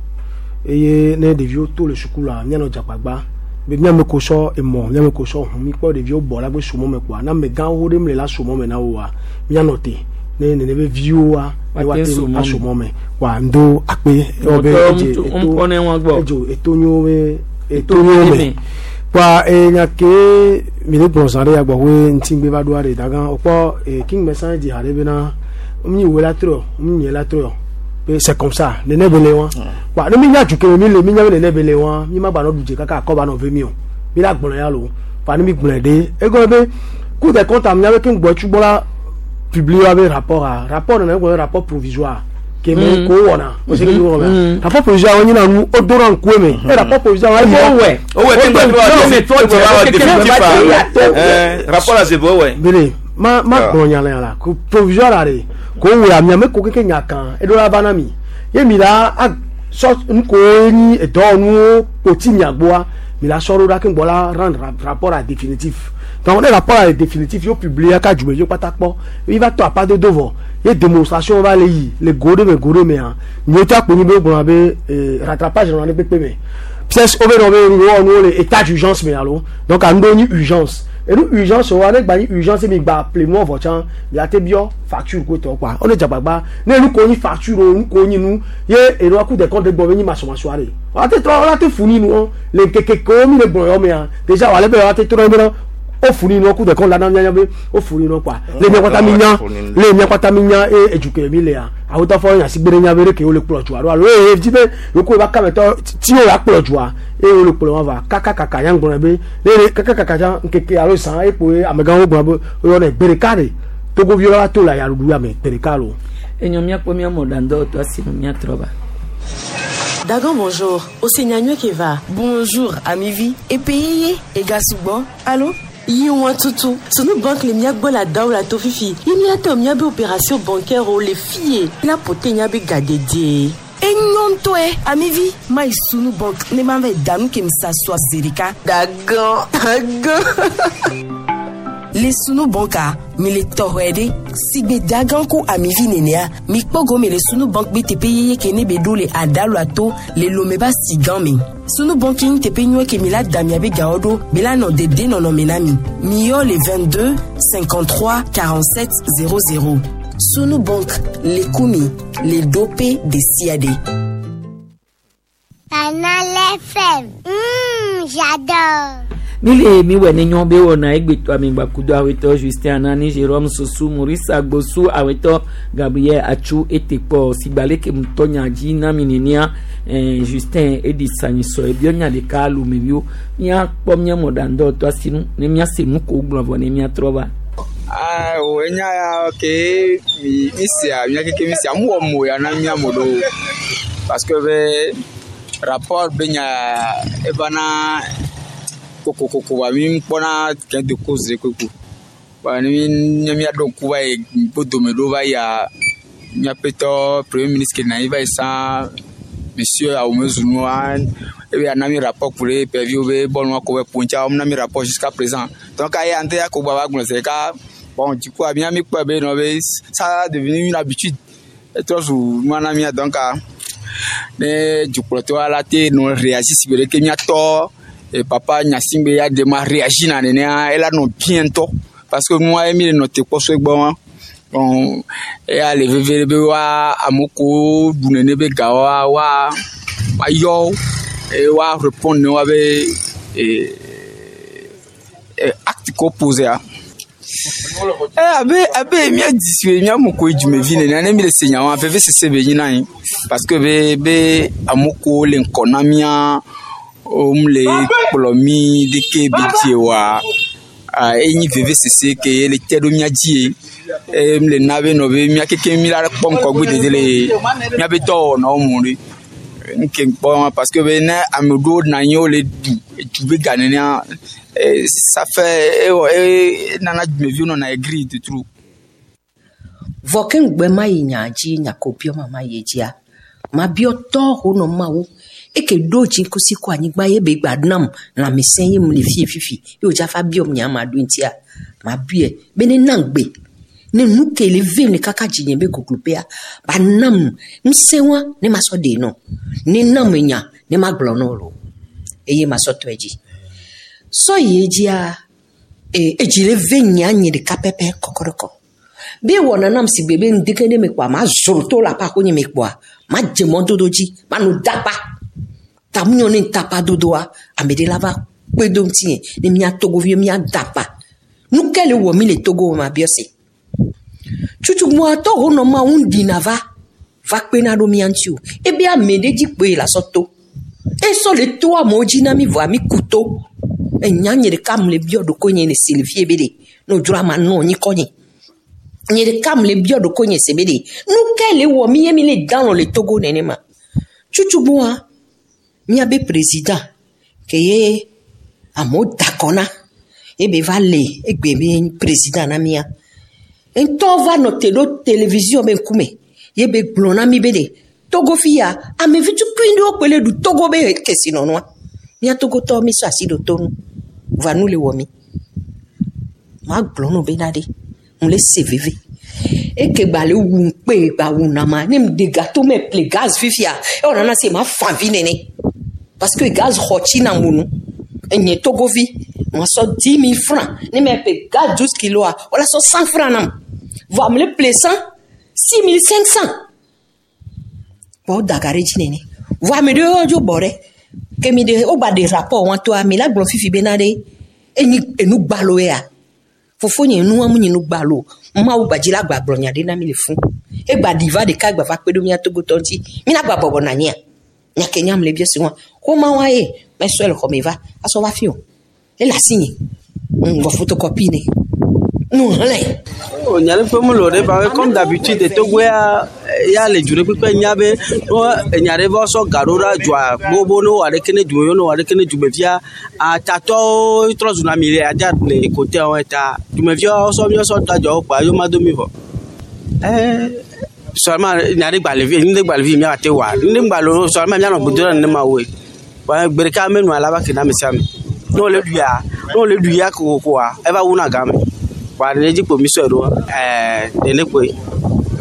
eye ne ɖeviwo to le suku la míanɔ dzagbagba be míame ko sɔ emɔ míame ko sɔ ʋu mi kpɔ ɖeviwo bɔ la gbe sumɔ me kpoa na amegãwo ɖe mle la sumɔ me na woa míanɔ te ne nene be viwoa ne Woate woate sumɔ me. asumɔ me wa ŋdo akpe ewɔ be Mɔtɔ edze ŋutsu- eto ŋkɔ ne wɔn gbɔ. edzo eto nyo be eto Eto nyo nyo me me. kpoa enya ke mi le gblɔ zã ɖe ya gbɔ hoe ŋutigbe va ɖoa ɖe dagã wokpɔ eh, King Messan dzi ha ɖe bena mi wo la trɔ mi nye la trɔ be c'est comme ça nene be le wa wa ne mi nya du ke mi le mi nya be nene be le wa mi ma gba nɔ du dze kaka akɔ ba nɔ ve mi o mi la gblɔ ya lo fa ne mi gblɔe ɖe egɔme be Cour des comptes am nya be ke ŋgbɔ tsugbɔ la publier wa be rapport a rapport nana egblɔ be rapport provisoire ke me Mm. ko wɔna o se ke mi wɔna Mm. rapport provisoire wo nyina nu o dora ŋkue me e rapport provisoire wa yi O wɛ. O wɛ ke ŋgbɛ O wɛ wa wa définitif a rapport la se fɔ wɛ. bele ma ma Ah. gblɔ nya le la ko provisoire la de ko wɛ amia me ko keke nya kan eɖo la va na mi ye mi la a sɔ nuko nyi edɔwɔnuwo kpoti mia gbɔa mi la sɔ ɖo ɖa ke ŋgbɔ la rendre ra- rapport la définitif donc ne rapport la définitif yo publier ka dzumeviwo kpata kpɔ yi va tɔ apadodo vɔ ye démonstration va le yi le go ɖe me go ɖe mea nyuie tɔ akpo nyi be wogblɔna be eh, rattrapage nɔna ɖe kpekpe me pièce wo be nɔ be wowɔ le état d'urgence me alo donc anu ɖewo nyi urgence enu urgence wa ne gba nyi urgence mi gba ple nua vɔ tsã mia te biɔ facture ko tɔ kɔa wole dzagbagba ne nu ko nyi facture o nu ko nyi nu ye enua Cour des comptes gbɔ be nyi masɔmasɔa ɖe wa te trɔ wa te fu ni nu le ŋkeke kewo mi le gblɔ yɔ mea déjà wale be wa te trɔ be na o fu ni nu Cour des comptes la na mia nya be o fu ni nu kɔa le mia kpata mi nya le mia kpata mi nya eye edzuke mi lea awotɔ fɔ nyasigbe ɖe nya be ɖeke wole kplɔ dzoa ɖo alo eye dzi be yoko ba kametɔ ti wo la kplɔ dzoa eye wole kplɔ wɔn va kakakaka nya gblɔ be ne ne kakakaka tsã ŋkeke alo zã ekpo ye amegãwo gblɔ be woyɔnɛ gbe ɖeka ɖe togoviwo la va to le ayaɖuɖu ya me gbe ɖeka lo. Enyo míakpɔ mía mɔɖaŋdɔwɔtɔ asi nu míatrɔ va. Dagan bonjour. Osenyanywe Keva. Bonjour, Amivi. Epeyeye, Egasugbo. Allô? Yi wọn tutu. Sunu banque le miagbo la daw la to fifi. Yi miate miabe opération bancaire o le fiye. La pote nyabe gadede. Enyɔntɔe amivi ma yi sunu bank ne ma vɛ danu ke misa sɔ zerika. Dagan, dagan. Le sunu banka mi le tɔxɔe ɖe sigbe dagan ko amivi nenea mi kpɔ gome le sunu bank be teƒe yeye ke ne be ɖo le adalu ato le lome ba si gan me sunu bank nyi teƒe nyuie ke mi la da miabe gawo ɖo be la nɔ dede nɔnɔme na mi mi yɔ le vingt-deux cinquante-trois quarante-sept zéro zéro sunu bank le kumi le dope de siade. Canal F M. Mmh, j'adore. Mi le mi wɛ ne nyɔ be wɔna egbetɔ amegbakudo awetɔ Justin Anani Jérôme Sosu Maurice Agbosu awetɔ Gabriel Atsu etekpɔ sigba leke mutɔ nya dzi na mi nenia eh, Justin edi sanyisɔ ebiɔ nya ɖeka lomeviwo míakpɔ mía mɔɖaŋdɔwɔtɔ asinu ne míase nu ko gblɔ vɔ ne míatrɔ va. O enya ya ke mi mi sia mía keke mi sia mu wɔ mo ya na mía mo ɖo parce que be rapport be nya eva na kokokoko ba mi kpɔna gain de cause koko ba ne mi ne mía ɖo ŋku va yi gbodome ɖo va yia míaƒetɔ premier ministre ke na anyi va yi sã monsieur Awomezunua ebe anami rapport pour les pervios be bon wa ko be puncha om nami rapport jusqu'à présent donc aye ante ya ko baba gbon c'est ka bon du coup bien mi quoi be no be ça a devenu une habitude et trop sou moi na mi donc ne dukplɔtɔ la te no réagir si be ke miatɔ et papa Gnassingbé ya de ma réagir na nenea ela nɔ bien ŋutɔ parce que nua ye mi le nɔ te kpɔ so egbɔ wa bon eya le veve be wa amewo ko ɖu nene be ga wa wa wa yɔ eye wa répondre ne wa be eh, eh, acte ko posé a. Eh, abe abe mía di si mía mo koe dumevi nene ne mi le se nyawo veve sese be nyina yi parce que be be amewo ko le ŋkɔ na mía wom le kplɔ mi ɖeke be dzi wa enyi veve sese ke ye le te ɖo mía dzi ye eye mi le na be nɔ be mía keke mi la kpɔ ŋkɔgbe dede le míabe dɔwɔnawo mo ɖe nke kpɔ parce que be ne ame ɖewo nɔ anyi wole ɖu edu be ga nenea ça fait ewɔ e nana dumeviwo nɔna aigri de trop. Vɔ ke ŋugbe ma yi nya dzi nyako biɔ ma ma yi dzia mabiɔ tɔ ho nɔ mawu eke ɖo dziŋkusi kɔ anyigba ye be gba nam lãmesẽ ye mu le fie fifi ye wòdza fa biɔ nya ma ɖo ŋutia mabiɔe be ne nam gbe ne nu ke le vem le kaka dzinye be gogloƒea ba nam ŋusẽ wa ne ma sɔ ɖe nɔ ne nam nya ne ma gblɔ nɔ lo eye ma sɔ tɔe dzi sɔ yi edzia e edzi le ve nya nye ɖeka pɛpɛ kɔkɔɖɔkɔ be wɔna nam si gbe be ŋdeke ne me kpɔa ma zro to le aƒe aƒe nye me kpɔa ma dze mɔdodo dzi ma no dapa tamunyɔ ne tapa dodoa ame ɖe la va kpe do ŋutinye ne mía togoviwo mía dapa nu ke le wɔ mi le togo ma biɔ se tutugboatɔ ho nɔ ma ŋu ɖina va va kpena ɖo mía ŋuti o ebe ame ɖe dzi kpoe la sɔ to esɔ le to amewo dzi na mi vɔa mi ku to enya nye ɖeka mu le biɔ ɖokonye le si le fie be ɖe ne wòdzro ama nɔ anyi kɔ nye nye ɖeka mu le biɔ ɖokonye se be ɖe nu ke le wɔ mi ye mi le dan le togo nenema tutugbɔa míabe président ke ye amewo da kɔ na ebe va le egbe be président na mía ŋutɔ va nɔ te ɖo télévision be ŋkume ye be gblɔ na mi be ɖe togo fi ya ame vi tukui ɖewo kpe le ɖu togo be kesinɔnua mía togotɔwo mi sɔ asi ɖo to nu va nu le wɔ mi magblɔ no bena ɖe mu le se veve eke gba le wu ŋkpe gba wu nama ne mu de gâteau me ple gaz fifia ewɔ nana se ma fa vi nene parce que gaz xɔ tsi na mu nu enye togovi ma sɔ dix mille francs ne me ple gaz douze kilos wala sɔ cent francs nam vɔ ame le ple cent six mille cinq cent kpɔ da ga ɖe dzi nene vɔ ame ɖewo dzo bɔ ɖe ke mi de wogba de rapport wɔn toa mi la gblɔ fifi bena ɖe enyi enu gbalo ya fofonye nua mu nyi nu gbalo mawu gbadzi la gba gblɔ nya ɖe na mi le fún egba ɖi va ɖeka gba va kpe ɖo mía togotɔ ŋuti mi la gba bɔbɔ na anyia nya ke nyam le bia si wa xɔma wa ye mesɔe le xɔme va asɔ va fi o ele asi nye ŋgɔ photocopie ne nu hlẽ. O nya ɖe ƒe mu le o ɖe ba comme d'habitude Togo ya ya le du ɖe kpekpe nya be no enya ɖe va sɔ ga ɖo ɖa dzoa gbogbo ne wɔ ɖeke ne dumeviwo ne wɔ ɖeke ne dumevia atatɔwo trɔ zuna mi le adza le kote wɔn ta dumeviawo sɔ miɔ sɔ da dzoawo kpa yewo ma do mi vɔ. Ɛɛ seulement nya ɖe gba le vi nu ɖe gba le vi mia te wa nu ɖe gba le o seulement mianɔ gbedo ɖe nenema woe wa gbe ɖeka menua la va ke na ame sia ame ne wole ɖuia ne wole ɖu ya kokokoa eva wuna game wa ne dzi kpo mi sɔe ɖo ɛɛ nene kpoe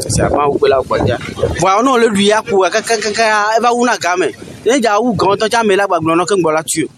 sia mawu kpe la kpɔ dzia vɔa ne wole ɖu ya ko kakakaka eva wuna game ne dza wu gãtɔ tsa ame la gbagblɔ nɔ ke ŋgbɔ la tu o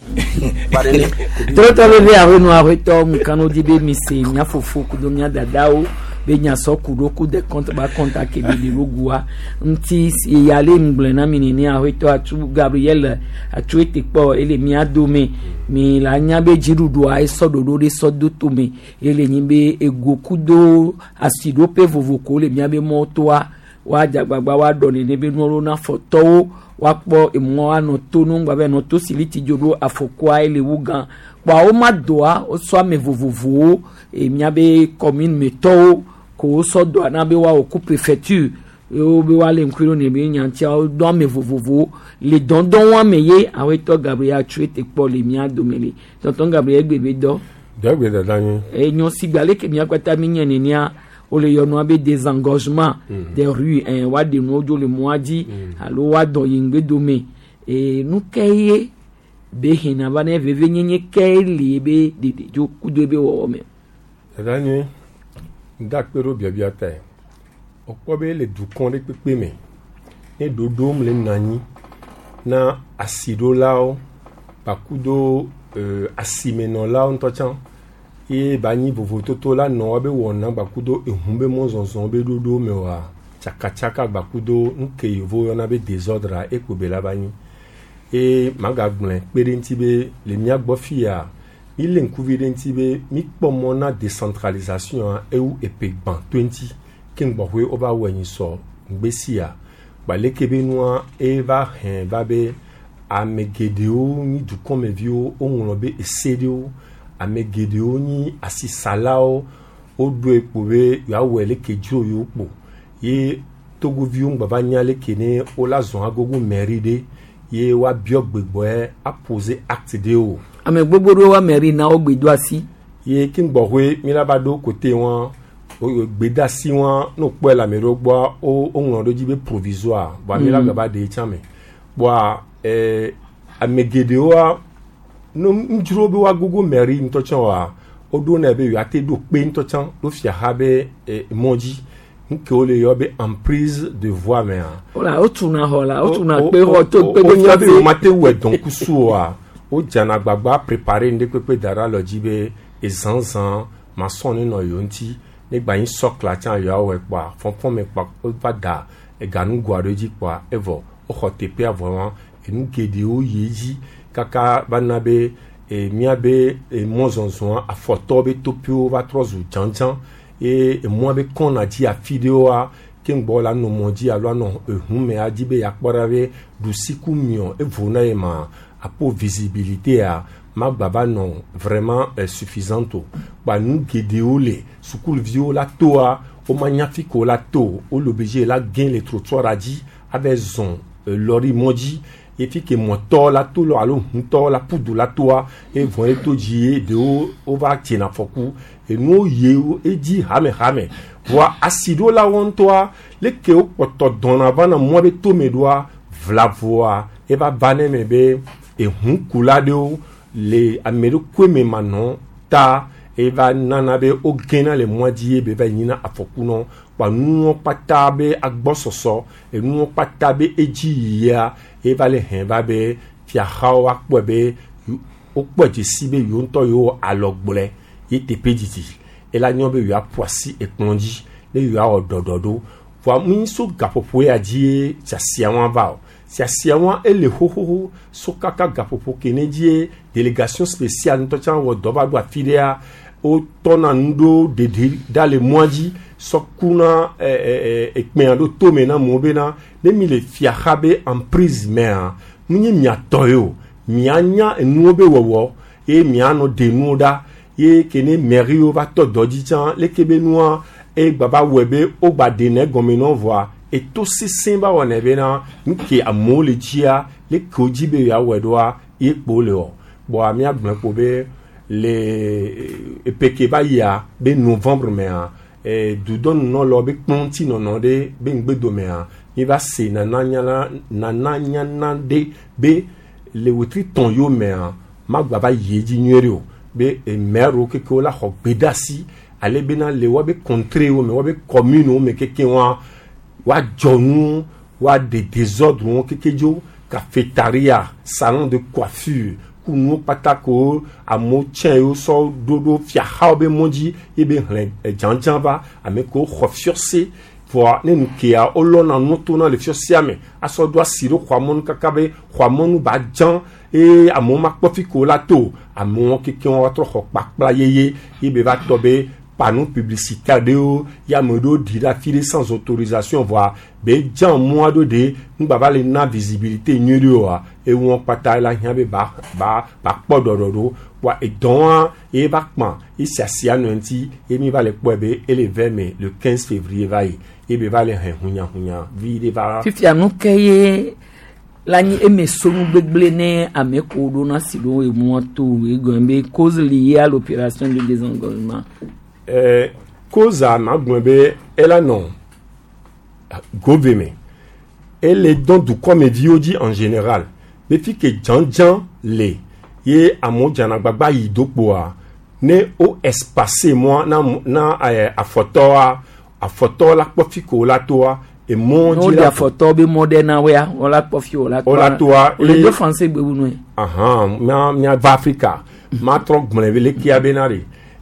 wa nene. trɔtɔ le ve aƒe aƒetɔ ŋkano di be mi se mía fofo kudo mía dadawo be nyasɔ ku ɖo ku de compte ba compte ke be le gua ŋuti ya le ŋgblẽ na mi nene aƒetɔ atu Gabriel atu ete kpɔ ele mía dome mi la nya be dziɖuɖua esɔ ɖoɖo ɖe sɔ do tome ele nyi be ego kudo asiɖoƒe vovo ko le mía be mɔtoa woadze agbagba woaɖɔ nene be nuwo na fɔtɔwo woakpɔ emɔ anɔ to nu ŋgba be nɔ to siliti dzo ɖo afɔkua ele wu gã kpɔa wo ma doa wosɔ ame vovovowo e míabe commune me tɔwo ko wosɔ doa na be woawɔ ku préfecture wo be woale ŋkui ɖo ne be nyatia wodo ame vovovowo le dɔndɔn wa me ye awetɔ Gabriel atsu ete kpɔ le mía dome le tonton Gabriel gbe be dɔ dɔ gbe dada nyi. Enyo sigba leke mía kpata mi nye nenea Wole yɔ nua be désengorgement des rues ɛn woaɖe nuwo dzo le mɔa dzi alo woadɔ yi ŋgbedome ee nu ke ye be hena va ne vevenyenye ke li be ɖeɖe dzo kudo ebe wɔwɔ me. Dada nyui, ŋda kpe ɖo biabia tae. Wokpɔ be le dukɔ ɖe kpekpe me, ne ɖoɖom le nɔ anyi na asiɖolawo kpakudo euh, asimenɔlawo ŋutɔ tsã ye ba nyi vovototo la nɔ woabe wɔna gbakudo ehu be mɔzɔzɔ be ɖoɖo me oa tsakatsaka gbakudo nu ke yevo yɔna be désordre ekpo be la va nyi eye magagblɔe kpe ɖe ŋuti be le mía gbɔ fia mi lé ŋkuvi ɖe ŋuti be mi kpɔ mɔ na décentralisation ewu epe gbã to ŋuti ke ŋgbɔƒe wova wɔ nyi sɔ ŋgbe sia gbaleke be nua eva hɛn va be ame geɖewo nyi dukɔmeviwo woŋlɔ be ese ɖewo ame geɖewo nyi asisalawo woɖoe kpo be yewoawɔe leke dzro yewo kpo ye togoviwo ŋgba va nya leke ne wola zɔn agogo mairie ɖe ye woabiɔ gbegbɔe apose acte ɖewo. Ame gbogbo ɖewo wa mairie na wo gbe do asi. Ye ke ŋgbɔƒe mi la va ɖo kote wɔn gbedasi wɔn n'o kpɔe le ame ɖewo gbɔa wo woŋlɔ ɖo dzi be provisoire voa mi la gba va ɖe tsã me kpoa ɛɛ ame geɖewoa no ŋdzro be woagogo mairie ŋutɔ tsã oa woɖo nɛ be yewoate ɖo kpe ŋutɔ tsã ɖo fiaxa be eh, mɔ dzi nu ke wole yɔ be emprise de voie mea. Wala wotuna xɔ la wotuna kpe xɔ to kpe wonya be womate wɔe dɔnkusu oa wodzana agbagba préparer ŋɖe kpekpe da ɖe alɔ dzi be ezãzã masɔn ne nɔ yewo ŋuti ne gba nyi sɔkla tsã yewoawɔe kpoa fɔnfɔn me kpoa wova da eganugoa ɖe dzi kpoa evɔ woxɔ teƒea vɔ wa enu geɖewo yi edzi kaka va na be e, míabe e, mɔzɔzɔa afɔtɔwo be toƒewo va trɔ zu dzãdzã ye emɔa be kɔna dzi afi ɖewoa ke ŋgbɔ la nɔ mɔ dzi alo anɔ ehu me adzi be yeakpɔ ɖa be ɖusi ku miɔ evo na ye ma apo visibilité a magba va nɔ vraiment eh, suffisante o kpa nu geɖewo le sukuviwo la toa womanya fi ko la to wole obligé la gẽ le trottoir a dzi ava zɔn eh, lɔri mɔ dzi ye fi ke mɔtɔ la to lɔ alo ʋutɔ la pudu la toa evɔ ye to dzi ye ɖewo wova dzena afɔku enuwo yi edzi hame hame voa asiɖolawo ŋutɔa leke wokpɔtɔ dɔna va na mɔ be tome ɖoa vlavoa eva va ne me be ehukula ɖewo le ame ɖokui me manɔ ta eva nana be wogena le mɔa dzi ye be va nyina afɔku nɔ kpa nuwo kpata be agbɔsɔsɔ enuwo kpata be edzi yia eva le hɛn va be fiaxawo akpɔe be wokpɔe dzesi be yewo ŋutɔ yewo alɔ gblɔe ye teƒe didi ela nyɔ be yewoaƒo asi ekplɔ dzi ne yewoawɔ ɖɔɖɔɖo voa mi so gaƒoƒo ya dzi ye siasia wa va o siasia wa ele xoxoxo so kaka gaƒoƒo ke ne dzie délégation spéciale ŋutɔ tsã wɔ dɔ va ɖo afi ɖea wotɔna nu ɖo ɖeɖe ɖa le mɔa dzi sɔ kuna ɛ ɛ ekpɛa ɖo tome na amewo bena ne mi le fiaxa be emprise mea nu nye miatɔ ye o mianya enuwo be wɔwɔ ye mianɔ ɖe nuwo ɖa ye ke ne mairie wo va tɔ dɔ dzi tsã leke be nua egba va wɔe be wogba ɖe gɔme nɔ vɔa eto sesẽ va wɔnɛ bena nu ke amewo le dzia leke wo dzi be yewoawɔe ɖoa ye kpo le wɔ kpoa míagblɔe kpo be le epeke va yia be novembre mea eh, dudɔnunɔlawo be kplɔ ŋutinɔnɔ ɖe be ŋgbedomea mi va se nananyana nananyana ɖe be le wetri tɔn yiwo mea magba va yi edzi nyuie ɖe o be maire keke wo la xɔ gbedeasi ale bena le woabe contrée wo me woabe commune wo me keke wa woadzɔ nu woaɖe désordre wo keke dzo cafétéria salon de coiffure ku nuwo kpata ko amewo tsɛ yewo sɔ ɖo ɖo fiaxawo be mɔ dzi ye be hlẽ dzãdzã va ame kewo xɔ fiɔse voa ne nu kea wolɔna nu tona le fiɔsia me asɔ ɖo asi ɖo xɔa mɔnu kaka be xɔa mɔnu ba dzã eye amewo makpɔ fi ko la to amewo keke woatrɔ xɔ kpakpla yeye ye be va tɔ be panneau publicitaire ɖewo ye ame ɖewo ɖi ɖe afi ɖe sans autorisation voa be dzã mɔa ɖo ɖe ŋgba va le na visibilité nyuie ɖe oa ewɔ kpata la hiã be ba ba ba kpɔ ɖɔɖɔɖo voa edɔa ye va kpã ye siasia nɔ ŋuti ye mi va le kpɔe be ele vɛ me le quinze février va yi ye be va le hɛn hunyahunya vi ɖe va. Fifia nu ke ye la nyi eme sonu gbegblẽ ne ame ko ɖo na si ɖo emɔa to egɔme be cause liée à l'opération de désengorgement. Euh, Koza ma gblɔ be ela nɔ gove me ele dɔn dukɔmeviwo dzi en général be fi ke dzãdzã le ye amewo dzana gbagba yi do kpoa ne wo espace mɔ na na eh, afɔtɔa afɔtɔ la kpɔ fi ko la toa emɔ ne dzi woɖe la afɔtɔ be mɔ ɖe na woya wola kpɔ fi wola Wola toa, le eye- do français gbe wu nue ahan mía míava Afrika matrɔ gblɔe be lekea bena ɖe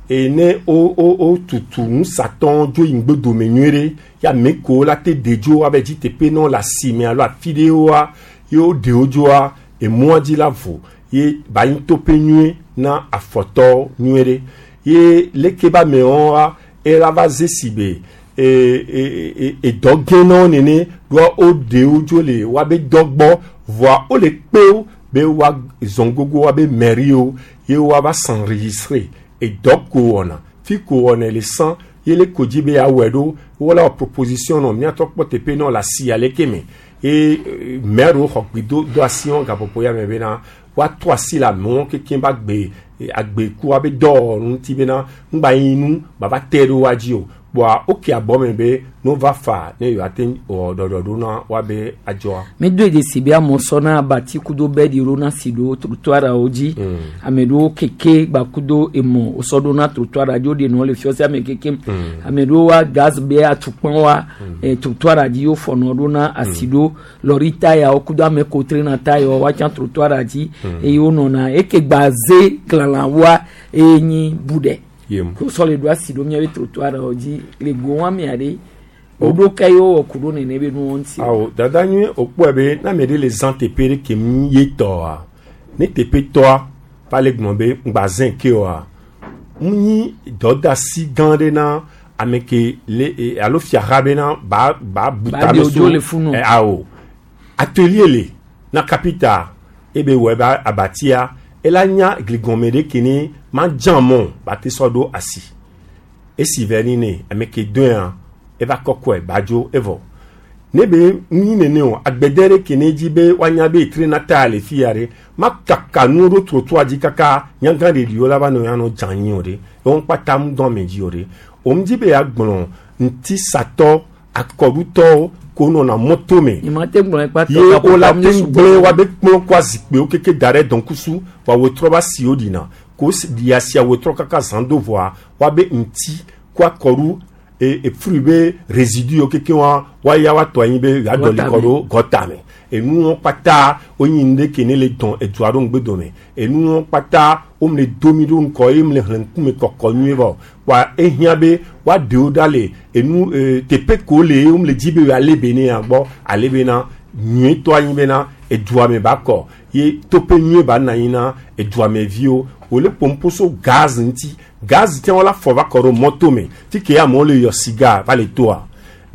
eye ne wo wo wo tutu nusatɔ dzo yi ŋgbedome nyuie ɖe ya ame kewo la te de dzo abe dzi teƒe nɔ le asime alo afi ɖewoa ye wo ɖewo dzoa emɔa dzi la vo ye ba nyi toƒe nyuie na afɔtɔ nyuie ɖe ye leke be amewoa ela va ze si be e e e edɔ gẽ na wo nene ɖoa wo ɖewo dzo le woabe dɔ gbɔ voa wole kpewo be woa zɔn gogo woabe mairie wo ye woava s'enregistrer edɔ ko wɔna fi ko wɔna le san ye le ko dzi be yeawɔe ɖo wola wɔ proposition nɔ míatɔ kpɔ teƒe nɔ le asi aleke me ye eh, maire wo xɔ gbi do do asi wɔn gaƒoƒo ya me bena woatrɔ asi le amewo kekeŋ ba gbe eh, agbeku abe dɔwɔnu ŋuti bena ŋgba yi nu baba te ɖo woa dzi o kpoa woke abɔ me be no va fa ne yewoate wɔ ɖɔɖɔɖo na woabe adzɔa. mi do dzesi be amewo sɔna abati kudo bɛdi ɖo na si ɖo trottoir-awo dzi ame ɖewo keke gbakudo emɔ wosɔ ɖo na trottoir dzi woɖe nɔ le fiɔsi ame kekem ame ɖewo wa gaz be atukpɔ wa eh, trottoir dzi wofɔnɔ ɖo na asi ɖo lɔri tayawo kudo ame ko trena tayawo woatsã trottoir dzi eye wonɔna eke gba ze klalãwoa eye nyi bu ɖe Yem. wosɔ le ɖo asi ɖo miabe trottoir-awo dzi le go wɔn amea ɖe woɖo ke ye wowɔ ku ɖo nene be nuwo ŋuti. awo dada nyuie wòkpɔe be ne ame ɖe le zã teƒe ɖe ke mi ye tɔa ne teƒe tɔa va le gblɔ be ŋgba zẽ ke oa ŋu nyi dɔdasi gã ɖe na ame ke le e, alo fiaha bena ba ba bu Ba tame ɖe wodzo le funu. Eh, awo atelier le na capita ebe wɔ ebe abatia ela nya gligɔme ɖe ke ne ma dzã mɔ ba te sɔ ɖo asi esi vɛ ni ne ame ke doea eva kɔkɔe badzo evɔ ne be nyi nene o agbede ɖe ke ne dzi be woanya be trena ta le fi ya ɖe ma kaka nuwo ɖo trottoir dzi kaka nyagã ɖeɖiwo la va nɔ ya nɔ dze anyi o ɖe wɔn kpata ŋu dɔn ame dzi o ɖe òun dzi be ya gblɔ ŋutisatɔ akɔɖutɔwo ko nɔna mɔto me Nyemate gblɔ ekpa ye wola te gblẽ woabe kplɔ kɔ azikpuiwo keke da ɖe dɔnkusu wa wotrɔ ba siwo ɖina ko si- ɖia sia wotrɔ kaka zã do vɔa woabe ŋuti kɔ akɔɖu e e fruit be résidu yiwo keke wa woaya woatɔ anyi be yewoaɖɔli kɔ ɖo gɔta me enuwo kpata wonyi nu ɖe ke ne le dɔn edua ɖo ŋgbe dome enuwo kpata wome le domi ɖo ŋkɔ ye me le hlẽ ŋkume kɔkɔ nyuie vɔ wa ehiã be woaɖewo ɖa le enu e, teƒe ko le ye wome le dzi be yewoalé be ne ya gbɔ ale bena nyuietɔ anyi bena edua me ba kɔ ye toƒe nyuie ba nɔ anyi na edua me viwo wòle ƒomƒo so gaz ŋuti gaz tse wola fɔ va kɔ ɖo mɔto me fi ke amewo le yɔ siga va le toa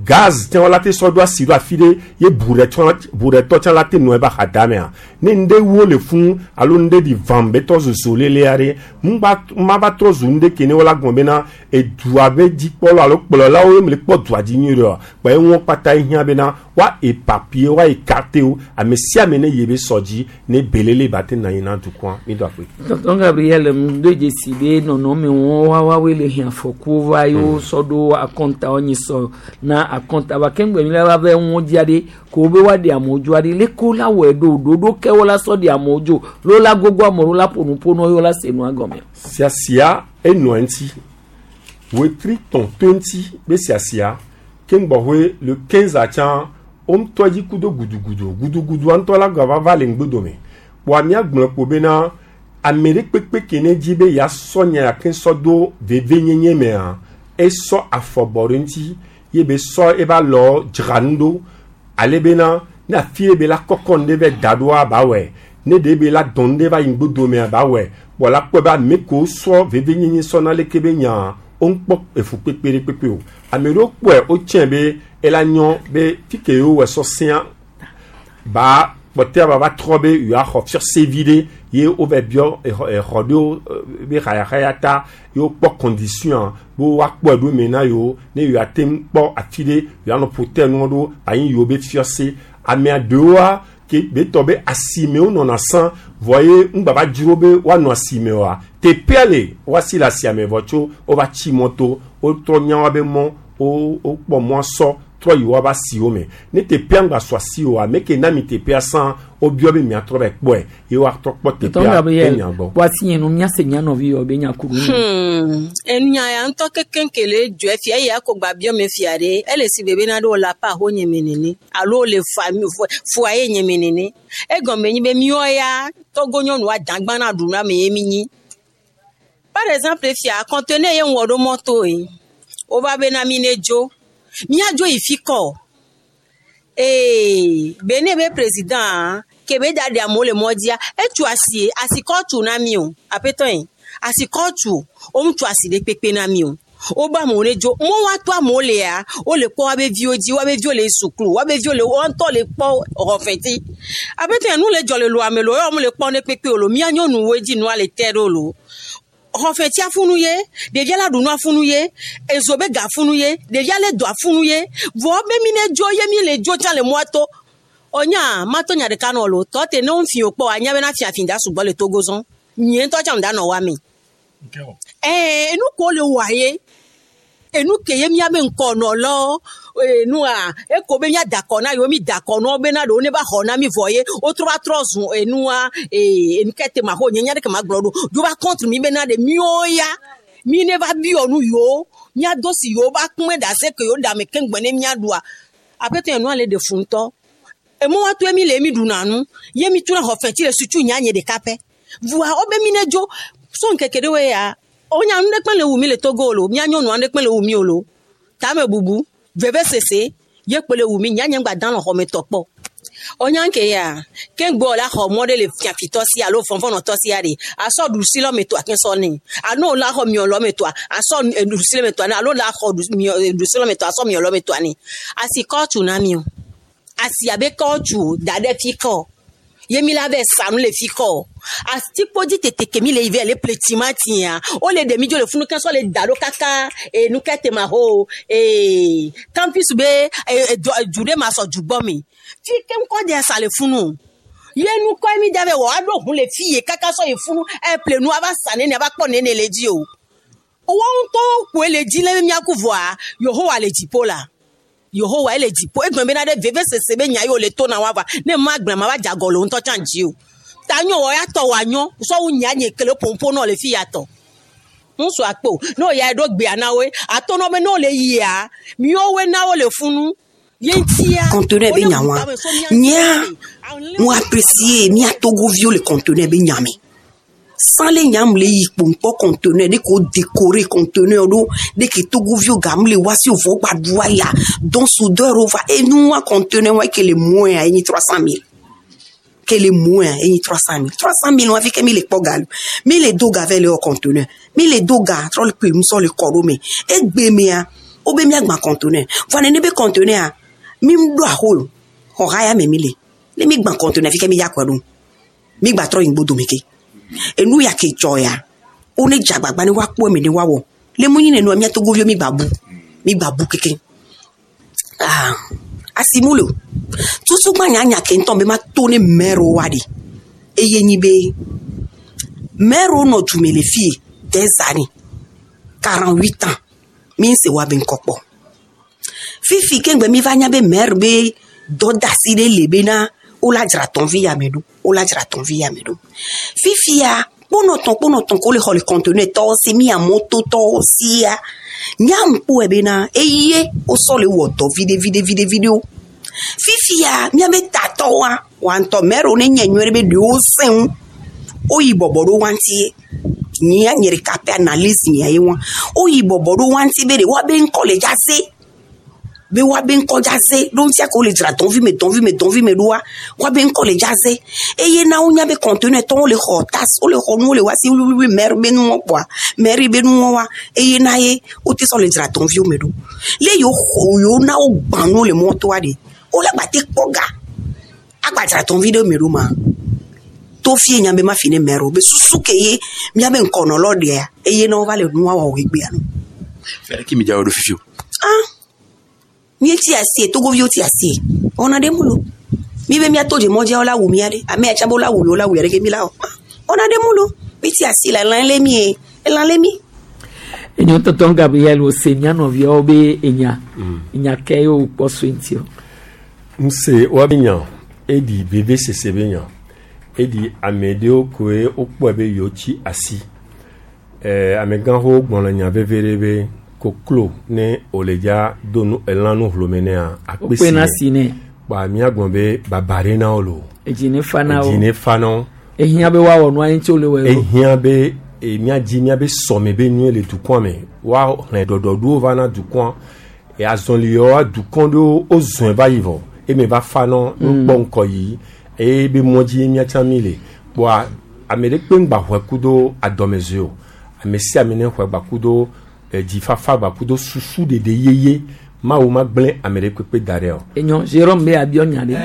gaz tse wola te sɔ ɖo asi ɖo afi ɖe ye buɖetɔ tse la te nɔ ebe axada mea ne ŋɖe wo le fún alo ŋɖe ɖi vam be tɔ zozo lelea ɖe ŋgba ma va trɔ zu ŋɖe ke ne wola gblɔ bena edua be dzikpɔlawo alo kplɔlawo ye me le kpɔ dua dzi nyuie ɖe kpa ye ŋu kpata hiã bena wa éparpiller wa écarter wo ame sia ame ne yi be sɔ dzi ne belele ba te nɔ anyi na dukɔa mi do akpe. Tonton Gabriel ŋdo dzesi be nɔnɔme wɔn wawawoe le hiã afɔkuwo va ye wosɔ ɖo akɔnta nyi sɔ na akɔnta ba keŋgbe mi la va be ŋu dzia ɖe ko wo be woaɖe amewo dzo aɖe leke la wɔe ɖo ɖoɖo ke wo la sɔ ɖe amewo dzo lo la gogo amewo la ƒo nu ƒo nɔ ye wo la se nua gɔme. Siasia enɔ ŋuti wetri tɔn to ŋuti be siasia keŋgbɔhoe le quinze atsã woŋutɔ dzi ku do gudugudu gudugudua ŋutɔ la gava va le ŋgbedome kpoa míagblɔ kpo bena ame ɖe kpekpe ke ne dzi be yeasɔ nya ya ke sɔ do vevenyenye mea esɔ afɔ bɔ ɖe ŋuti ye be sɔ ebe alɔ dzra nu ɖo ale bena ne afi ɖe be la kɔkɔ nu ɖe vɛ da ɖoa ba wɔe ne ɖe be la dɔn nu ɖe va yi ŋgbodomea ba wɔe kpɔ la kpɔe be ame kewo sɔ vevenyenye sɔ na leke be nya woŋkpɔ efu kpekpe ɖe kpekpe o ame ɖewo kpɔe wotsɛ be ela nyɔ be fi ke yewo wɔ sɔ sẽa ba kpɔtɛa ba va trɔ be yewoaxɔ fiɔsevi ɖe ye wova biɔ exɔ exɔ ɖewo eh, be xayaxaya ta ye wokpɔ condition be woakpɔe ɖo me na yewo ne yewoate ŋu kpɔ afi ɖe yewoanɔ ƒote nuwo ɖo anyi yewo be fiɔse amea ɖewoa Ke be tɔ be asimewo nɔna sã vɔ ye ŋgba va dzro be woanɔ asime oa teƒea le woasi le asiame vɔ tso wova tsi mɔto wotrɔ nya wa be mɔ wo wokpɔ mɔ sɔ trɔ yi woava asiwo me ne teƒea ŋgba sɔ asi oa ame ke na mi teƒea sã wobiɔ be miatrɔ va kpɔe ye woatrɔ kpɔ teƒea be nya gbɔ. Wasi yẹn nu miase nya nɔvi yɔ be nya kuru. Hmm, enya ya ŋutɔ kekeŋ ke le dzɔe fia eya ko gba biɔ me fia ɖe ele si be bena ɖe wòle aƒe aho nye me nene alo wòle fa foyer nye me nene egɔme nyi be míwɔ ya Togo nyɔnua dagba na ɖu na me ye mi nyi. Par exemple fia conteneur ye ŋwɔ ɖo mɔto ye wova bena mi ne dzo míadzo yi fi kɔ ee bene be président ke be da ɖe amewo le mɔ dzia etu asi asi kɔ tu na mi o aƒetɔ yi asi kɔ tu wo tu asi ɖe kpekpe na mi o wobe amewo ne dzo mo wa to amewo lea wole kpɔ woabe viwo dzi woabe viwo le sukulu woabe viwo le woa ŋutɔ le kpɔ xɔfɛti aƒetɔ yi nu le dzɔ le lo ame lo ye wo le kpɔ ne kpekpe o lo mía nyɔnuwoe dzi nua le te ɖo lo xɔfɛti afunu ye ɖevia la ɖu nu afunu ye ezo be ga afunu ye ɖevia le do afunu ye vɔ be mi ne dzo ye mi le dzo tsã le mɔa to ɔnya matɔ nya ɖeka nɔ lo tɔ te ne wo fi kpɔ anya bena fiafi da sugbɔ le Togo zɔn nye ŋutɔ tsã da nɔ wa me ɛɛ enu ko le wa ye enu ke ye miabe ŋkɔnɔlɔ enua eko be mia da kɔ na yewo mi da kɔ na wo bena ɖewo ne va xɔ na mi vɔ ye wotrɔ va trɔ zu enua ee enu ke te ma xɔ nye nya ɖeke ma gblɔ ɖo dzo va contre mi bena ɖe miwo ya mi ne va biɔ nu yewo miado si yewo va kume ɖase ke yewo ɖe ame keŋgbe ne miaɖua aƒetɔ enua le ɖe fu ŋutɔ emo wa to mi le mi ɖuna nu ye mi tuna xɔ fɛnti le sutu nya nye ɖeka pɛ vua wobe mi ne dzo so ŋkeke ɖewoe ya wonya nu ɖe kpe le wu mi le Togo lo mía nyɔnua ɖe kpe le wu mi o lo tame bubu vevesese ye kpe le wu mi nya nye ŋgba dan le xɔme tɔ kpɔ ɔnya nke ya ke ŋgbɔ la xɔ mɔ ɖe le fiafitɔ si alo fɔnfɔnɔtɔ sia ɖe asɔ ɖusi lɔ me toa ke sɔ ne alo la xɔ miɔ lɔ me toa asɔ ɖusi lɔ me toa ne alo la xɔ ɖusi lɔ me toa asɔ miɔ lɔ me toa ne asi kɔtu na mi o asi abe kɔtu da ɖe fi kɔ ye mi la vɛ sa nu le fi kɔ atikpodzi tete ke mi le yi vɛ le ple timatia wole ɖe mi dzo le funu ke sɔ le da ɖo kaka e nu ke te ma ho ee campus be e du ɖe ma sɔ du gbɔ me fi ke ŋkɔ de sa le funu ye nu kɔ mi da vɛ wɔ aɖo ʋu le fi ye kaka sɔ yi funu eple nu ava sa nene ava kpɔ nene le dzi o wɔn ŋutɔ koe le dzi le miaku vɔa Yehowa le dziƒo la. Yehowa ele dziƒo egblɔ bena ɖe vevesese be nya yi wòle to na wa va ne ma gblɔ ma va dze agɔ le wo ŋutɔ tsã dzi o ta nyɔ wɔ ya tɔ wɔ anyɔ sɔwu nya nye kele ƒoƒo nɔ le fi ya tɔ ŋutsu akpo ne wo ya ɖo gbea na woe atɔ nɔ be ne wole yia miɔwoe na wo le funu ye ŋutia. Conteneur be nya wa nyea mo apprécier mía Togoviwo le conteneur be nya me sans le nyam le yi kpo ŋkpɔ conteneur ɖe ko décorer conteneur ɖo ɖe ke Togoviwo gam le wa si wòvɔ gba ɖua ya donc soudeur wo va enua conteneur wa ke le moins a enyi trois cent mille ke le moins enyi trois cent mille trois cent mille wa fi ke mi le kpɔ ga mi le do ga vɛ le wɔ conteneur mi le do ga trɔ le kpe nusɔ le kɔ ɖo me egbe mea wobe miagba conteneur vɔa nene be conteneur mi ɖo aho xɔ haya me mi le ne mi gbã conteneur fi ke mi ya kɔe ɖo mi gba trɔ yi ŋgbodo me ke enu ya ke dzɔ ya wo ne dze agbagba ne woakpɔ eme ne woawɔ le mu nyi nenua mía Togoviwo mi gba bu mi gba bu keke ah asimu le o tutu gba nyanya ke ŋutɔ be ma to ne mɛro wa ɖi eye nyi be mɛro nɔ dume le fie des années quarante huit ans mi ŋse wa be ŋkɔ kpɔ fifi ke ŋgbe mi va nya be maire be dɔdasi ɖe le bena wola dzra tɔnvi ya me ɖo wola dzra tɔnvi ya me ɖo fifia kponɔtɔn kponɔtɔn ko le xɔ le conteneur tɔwo si mia mototɔwo sia nyam kpɔe bena eye wosɔ le wɔ dɔ viɖe viɖe viɖe viɖewo fifia miabe tatɔwoa wa ŋutɔ maire ne nye nyuie ɖe be ɖewo sẽ ŋu woyi bɔbɔ ɖo wa ŋuti nyia nye ɖeka ƒe analyse nyia ye wa woyi bɔbɔ ɖo wa ŋuti be ɖe woabe ŋkɔ le dza se be woabe ŋkɔ dza se ɖo ŋutia ko le dzra dɔnvi me dɔnvi me dɔnvi me ɖoa woabe ŋkɔ le dza se eye na wonya be conteneur tɔwo le xɔ tas wole xɔ nuwo le wa si wluwluwlu maire be nuwɔ kpɔa maire be nuwɔ wa eye na ye wote sɔ le dzra dɔnviwo me ɖo le yewo xɔ yewo na wo gbã nuwo le mɔtoa ɖe wole gba te kpɔ ga agba dzra dɔnvi ɖe me ɖo ma to fie nya be ma fi ne maire o be susu ke ye miabe ŋkɔnɔlɔ ɖea eye na wova le nua wɔwɔ egbea no. Fɛrɛ ki mi dza wɔ ɖo fifi o. Ah míeti asie Togoviwo ti asie wɔna ɖe mu lo Mi be miato dze mɔdzia wola wu mia ɖe ame ya tsã be wola wu yewo la wu ya ɖe ke mi la wɔ wɔna ɖe mu lo mi ti asi le elã lé mi ye elã lé mi. Enyo tonton Gabriel o se mía nɔviawo be enya enya ke ye wokpɔ so ŋuti o. Nse wa be nya eɖi veve sese be nya eɖi ame ɖewo koe wokpɔe be yewo tsi asi ɛɛ amegãxowo gblɔ le nya veve ɖe be koklo ne wòle dza do nu elã nu hlome nea akpe Wokpena si nɛ. Kpa míagblɔ be baba ɖe na wo lo. Edzi ne fa na wo. Edzi ne fa na wo. Ehiã be woawɔ nua ŋuti wole wɔe o. Ehiã be e, míadzi míabe sɔme be nyuie le dukɔa me woaxlẽ ɖɔɖɔɖowo va na dukɔa e, azɔliyewoa dukɔ ɖewo wozɔe va yi vɔ eme va fa nɔ Mm. wokpɔ ŋkɔ yi eye be mɔ dzi míatsã mi le kpoa ame ɖe kpe ŋgba xɔe kudo adɔmɛzoe o ame sia ame ne xɔe gba kudo eh, dzifafa gba kudo susu ɖeɖe yeye mawu ma gblẽ ame ɖe kpekpe da ɖe o. Enyo Jérôme be abiɔ nya ɖe.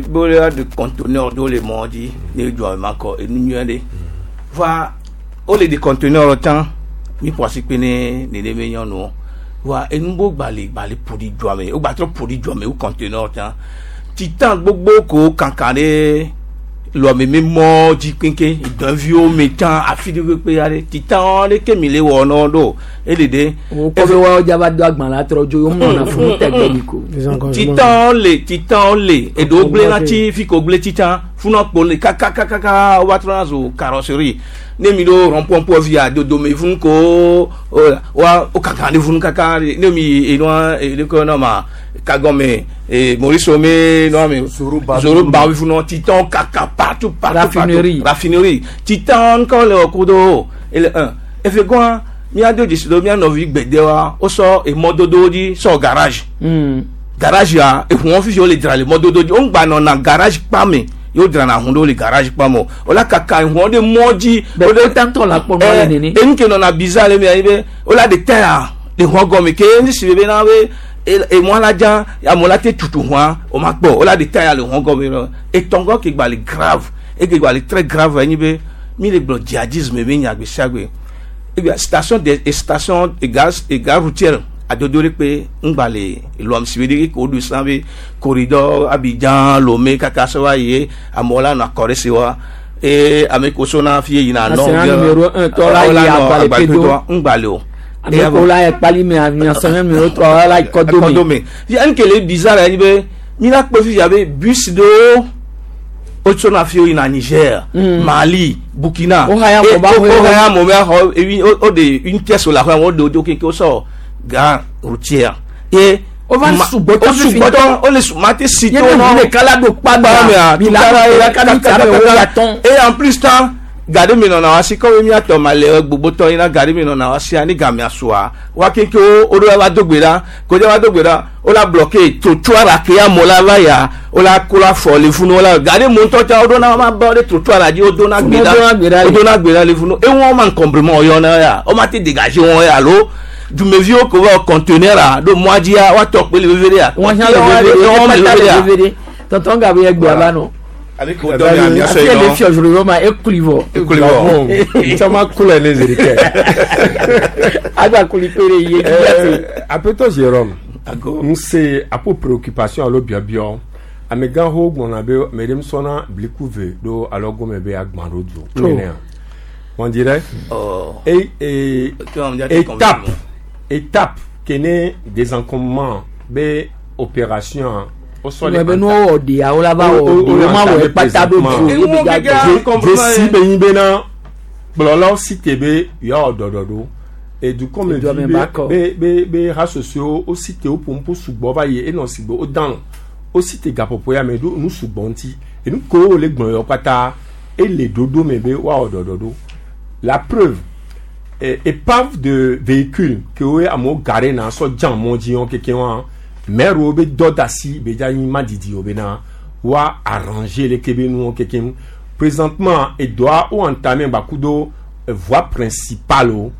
Bóyá de conteneur ɖo le mɔ dzi ne dua ma kɔ enu nyuie ɖe va wole de conteneur tsã mi ƒo asi kpe ne nene nyɔnuwo va enu bo gbali gbali ƒo ɖi dua me wo gba trɔ ƒo ɖi dua me wo conteneur tsã titan gbogbo ko kankan ɖe lɔmeme mɔ dzi keŋkeŋ dɔnviwo me tsã afi ɖe kpekpe aɖe titan ɖe ke mi le wɔ nɔ ɖo ele ɖe. Wokɔ be woawo dza va do agbalẽ atrɔ dzo yewo mlɔna funu tɛgbɛ mi ko. Titan le titan le eɖewo gblẽna tsi fi ko gblẽ tsi tsã funɔ kpo le kakakakaka wova trɔna zu carrosserie ne mi ɖo rond-point via dodome funu ko wa wo kaka ɖe funu kaka ne mi enua eleke nɔ ma kagɔme e Maurice me nɔ me zoro ba funu titan kaka partout partout. Raffinerie. Raffinerie titan kɔ le wɔ kudo ele un efe gɔn míado dzesi do mía nɔvi gbedewa wosɔ emɔdodowo dzi sɔ garage. Mm. Garage ya ehuɔ fifi wole dzra le mɔdodo dzi wo ŋgba nɔna garage kpa me yewo dzrana hun ɖewo le garage kpa me o wola kaka ehuɔ ɖe mɔ dzi. Bɛ ko tantɔ la kpɔ nua le nene. Enu ke nɔna bizarre le mia yi be wola de tɛ ya le huɔ gɔme ke ne si be na be emɔ la dza amewo la te tutu hua o ma kpɔ wola de tɛ ya le huɔ gɔme lɔ etɔngɔ ke gba le grave eke gba le très grave enyi be mi le gblɔ djihadisme be nya gbe sia gbe ebia station de station de gaz et gare routière adodo ɖe kpe ŋgba le lɔmsi be ɖe ko ɖu san be corridor Abidjan Lomé kaka sɔ va yi amewo la nɔ akɔ ɖe si wa eye ame ko sona fi yina nɔ National numéro un tɔ la yi Agbalẽpedo. ŋgba le o. Ame ko la yi Kpalime national numéro trois la yi Kɔdome. Kɔdome fi nu ke le bizarre ye be mi la kpɔ fifia be bus ɖewo wotsona fi yina Niger, Mm. Mali, Burkina. Wo haya mo ba wo xɔ- haya mo bɛ xɔ ebi o o de une pièce la xɔ wo de o do keŋkeŋ wosɔ gare routière ye. O va sugbɔ o sugbɔtɔ o le su ma te si Ye to ne nɔ ʋu ɖeka la ɖo kpa kpa mi la la ka mi ta me wo ya tɔn. Et en plus tan gade mi nɔna wa si kɔmi miatɔ ma le gbogbotɔ yina gade mi nɔna wa sia ni gamea sua wa keŋkeŋ wo o do va do gbe ɖa kodze va do gbe ɖa o la bloqué trottoir la ke amewo la va ya o la ko la fɔ le funu o la gade mo ŋutɔ tsa wo do na ma ba ɖe trottoir la dzi wo do na gbe Wo do na gbe ɖa ɖa wo le. do na gbe ɖa le funu ewɔn ma encombrement yɔna ya o ma te dégager wɔn ya alo dumeviwo ko va conteneur a ɖo mɔa dzia woatɔ kpe le veve ɖe ya Wɔn hiã le veve ɖe, wɔn wɔn le le veve ɖe ya veve ɖe. Tonton Gabriel gbe ava nɔ. Ale ko dɔ mi ami Afi ele fiɔ zoro ma ekuli vɔ. Ekuli vɔ. Caman kula ne zeri kɛ. Agba kuli pere ye Eh, Apetɔ Jérôme, n se apo préoccupation alo biɔbiɔ amegãxowo gblɔna be ame ɖe sɔna bliku ve ɖo alo gɔme be agbã ɖo du Oh. nenea on dirait et, et étape étape ke ne désencombrement be opération wosɔ Wɔ be nuwo wɔ ɖeawo la va wɔ ɖe wo ma wɔ kpata ɖo du ye be dza gbɔ. dzesi be nyi bena kplɔlawo si te be yewoawɔ ɖɔɖɔɖo edukɔmevi Edua me be ba kɔ. be be be hasosio wo si te woƒo ŋu sugbɔ va yi enɔ sigbe wo dan wo si te gaƒoƒo ya me ɖo nu sugbɔ ŋuti enu kewo wole gblɔ yɔ katã ele ɖoɖo me be woawɔ ɖɔɖɔɖo la preuve eh, épave de véhicule ke woe amewo gare na sɔ dza mɔ dzi wɔn keke wɔn maire wo be dɔ da asi be dza nyi madidi wo bena woa arranger le ke be nuwo keke ŋu présentement edoa wo entamé gbakudo eh, voie principale o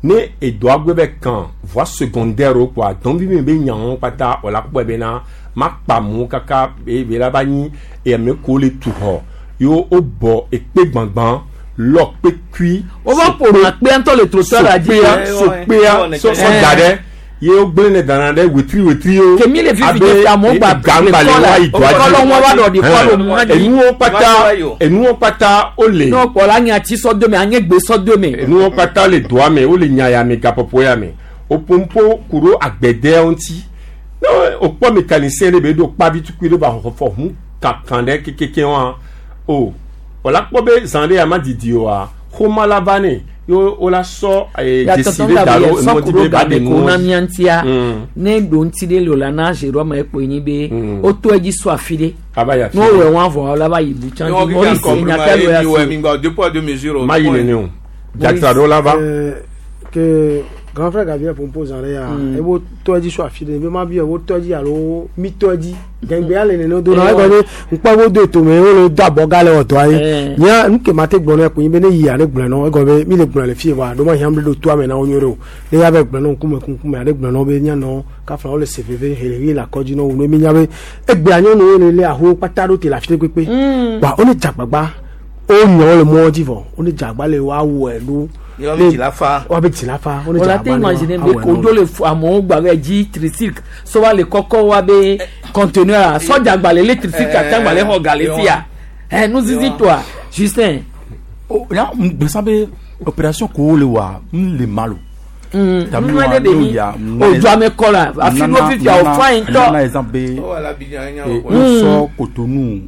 ne edoa gbe be kan voie secondaire o kpoa dɔnvi mi be nyawo kpata wòle akpɔe bena ma kpa amewo kaka be be la va nyi ame kewo le tu xɔ ye wo bɔ ekpe gbãgbã lɔ kpekui Wo va ƒo na kpea ŋutɔ le trottoir la dzi. sokpea sokpea sɔ sɔ da ɖe Ye wo gblẽ ne dana ɖe wetri wetri wo. Kemi le fifi dze fi amewo gba gangbale le wa yi kɔla doa kɔlɔ wọn va ɖɔ ɖi kɔlɔ mu hã dzi. Enuwo kpata enuwo kpata wole. N'o kpɔ la anye ati sɔ do me anye gbe sɔ do me. Enuwo kpata le doa me wole nya ya me gaƒoƒo ya me o pompo ku ɖo agbɛdɛwo ŋuti ne o kpɔ mécanicien ɖe be ɖo kpavi tukui ɖe ba xɔxɔ hu kankan ɖe kekeke wa o wòla kpɔ be zã ɖe ya ma didi oa xɔma la va ne ye wola sɔ ee Ya dzesi tɔtɔ ɖe da Gabriel ɖo enuwo sɔ dzi ku be ɖo ba ɖe game ko na nuwo mía ŋutia Mm. ne ɖo ŋuti ɖe le o la na Jérôme ekpo nyi be woto edzi sɔ afi ɖe. Ava yi afi N'o ɖe. wɔ wɔn vɔ la va yi bu tsã Yɔn dzi kika Maurice kɔmpirima nyaka ye lo ya mi wɔ se. mi gba deux poids deux mesures. Ma yi nene o dzatra ɖewo la va. Euh, que grand frère Gabriel Pompo zan ɖe ya ebo tɔ dzi so afi ɖe be ma bi ebo tɔ dzi alo mi tɔ dzi gɛngbɛ ale nene do na egɔme ŋkpɔ ebo do etome wo le do abɔga le wɔdɔa ye nya nu ke ma te gblɔ ne ko nyi be ne yi ale gblɔ nɔ egɔme mi le gblɔ le fie voa ɖo ma hiã ɖo toa me na wo nyuie ɖe o ne ya be gblɔ nɔ ŋkume ŋkume ale gblɔ nɔ be nya nɔ kafla wo le se veve helehi le akɔdzi nɔ wo ne mi nya be egbea nyɔnuwo le le ahowo kpata ɖo te le afi ɖe kpekpe wa wo ne dzagbagba wo nyɔ wo le mɔ dzi vɔ wo ne dzagbagba le wa wɔe ɖo Yɔ be dzila fa. wa be dzila fa wo ne o la te dzagbagba le wa imaginer be awɔe kodzo le fu amewo gba be dzi tricycle sɔ va le kɔkɔ wa be conteneur a sɔdza gba le le tricycle ata gba le xɔ ga le fia ɛ nuzizi tɔa Justin. Ya gbèsè be opération ko le wa n le malo. Mm, nu ɖe ɖe mi o do ame kɔ la afi ɖo fifia o fa yi ŋutɔ. Nana exemple be Oh, ala Abidjan, nya eh, wɔ. no sɔ Cotonou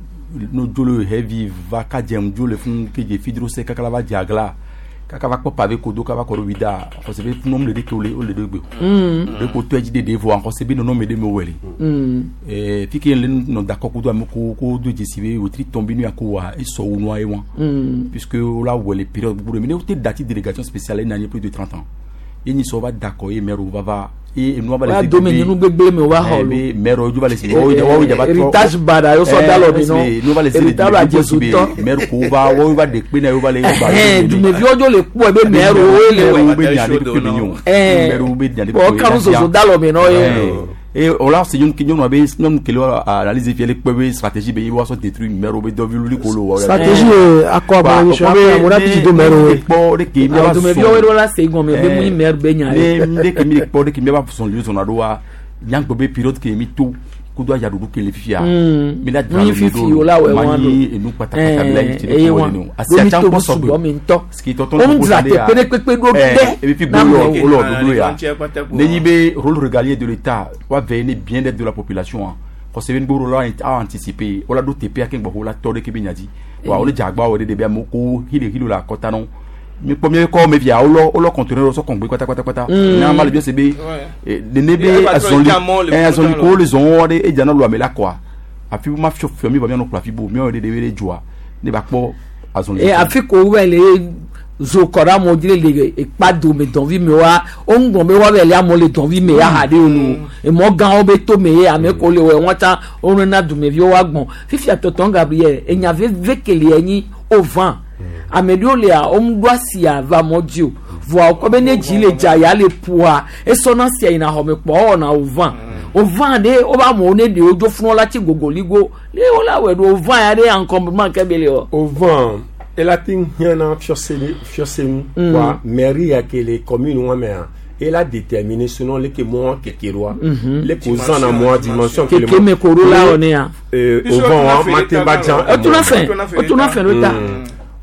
no dzolo heavy va kadze dzo le fún kedze fidrose kaka la va dze agla kaka va kpɔ pavé kodo kaka va kɔ ɖo wida xɔse be funɔm le ɖe ke wole wole ɖe gbe Mm. ɖe ko tɔ dzi ɖeɖe vɔ xɔse be nɔnɔme ɖe me wɔ le Mm. Eh, fi ke le nɔ dakɔ kudo ame ko ko do dzesi be wotri tɔn bi nu ya ko wa esɔ wu nua ye wa Mm. puisque wola wɔ le période gbogbo ɖe me ne wote dati délégation spéciale ena nye plus de trente ans ye nyi sɔ va dakɔ ye maire va va ye enua va le Wa se dome nyinu gbegble me wa xɔ Eh, lo. be maire wo va le se wo wo dza va trɔ Héritage bada yo sɔ da lɔ mi nɔ. nu va le se Héritage ba Jesu tɔ. maire ko va wo va de kpe na wo va le Ɛhɛn, dumeviwo dzo le kpɔe be maire wo le wɛ. be nya ɖe kpe be nyo Ɛɛ. maire wo be nya ɖe Bɔn kanu soso da lɔ mi nɔ ye. Et on l'a c'est une nyɔnua be nyɔnu kele wa analyse fia le kpe be stratégie be ye wa sɔ détruire maire wo be dɔvi wuli kolo wa. stratégie ye akɔ abɔ nyi sɔ akɔ amoda piti do mɛro ye. Kpɔ de ke mi va Dumeviwo ɖo la se gɔme be mu nyi maire be nya ye. Ne de ke mi kpɔ de ke mi va sɔn li sɔnna ɖo wa nyagbɔ be période ke mi to kudo ayaɖuɖu ke le fifia. Mm. Mi la Nu nyi fifi o la wɔ ma wɔn nyi enu kpatakpata mi la yi ti Ɛɛ, eye ɖe wɔn. ko wɔ nenu. Ɖo mi to sugbɔ mi ŋutɔ. Tɔtɔ Wo mu dzra teƒe ɖe kpekpe ɖo ɖe ebi fi na gbolo amewo. wolo ɖoɖo ya ne nyi be rôle régalien de l'État wa veiller ne bien-être de la population a xɔse be nugboro la a anticiper wola ɖo teƒea ke gbɔxɔ wola tɔ ɖe ke be nya dzi wa wole dze agba wɔ ɖe ɖe be amewo ko hile hile le akɔta nɔ mi kpɔ mi kɔ me via wolɔ wolɔ conteneur sɔ kɔngbe kpatakpatakpata Mm. ne ama le bi se be eh, nene be Eba trɔ azɔli dza mɔ le eh, azɔli kuta ko le zɔn wɔ ɖe edzana lu ame la kɔa afi ma fiɔ fiɔ mi ba mianɔ kplɔ afi bo miawo ɖe ɖe be ɖe dzoa ne ba kpɔ azɔli. E afi ko wɛ le zo kɔ ɖe amewo dzi le le ekpa dome dɔnvi me wa wo ŋgɔ be wa bɛ le amewo le dɔnvi me ya ha ɖe o lo emɔ gãwo be to me ye ame ko le wɔ wɔn tsã wo nena dumeviwo wa gbɔn fifia tɔtɔn Gabriel enya veve kele enyi o vã ame ɖewo lea wo ŋu ɖo asia va mɔ dzi o vɔa wokɔ be ne dzi le dza ya le ƒoa esɔna sia yina xɔme kpɔ ewɔna o vã o vã ɖe wobe amewo ne ɖewo dzo funu la tsi gogoligo le wo la wɔ ɖo o vã ya ɖe encombrement ke be le wɔ. O vã ela te hiãna fiɔse fiɔsenu Mm. wa mairie ya ke le commune wa mea ela déterminer selon le ke mɔ keke ɖoa Mhm. le ko zã na mɔa dimension ke le Keke me ko ɖo la wɔ ne ya. Euh, o vã wa ma te va dza Otuna fɛn, otuna fɛn ɖo ta.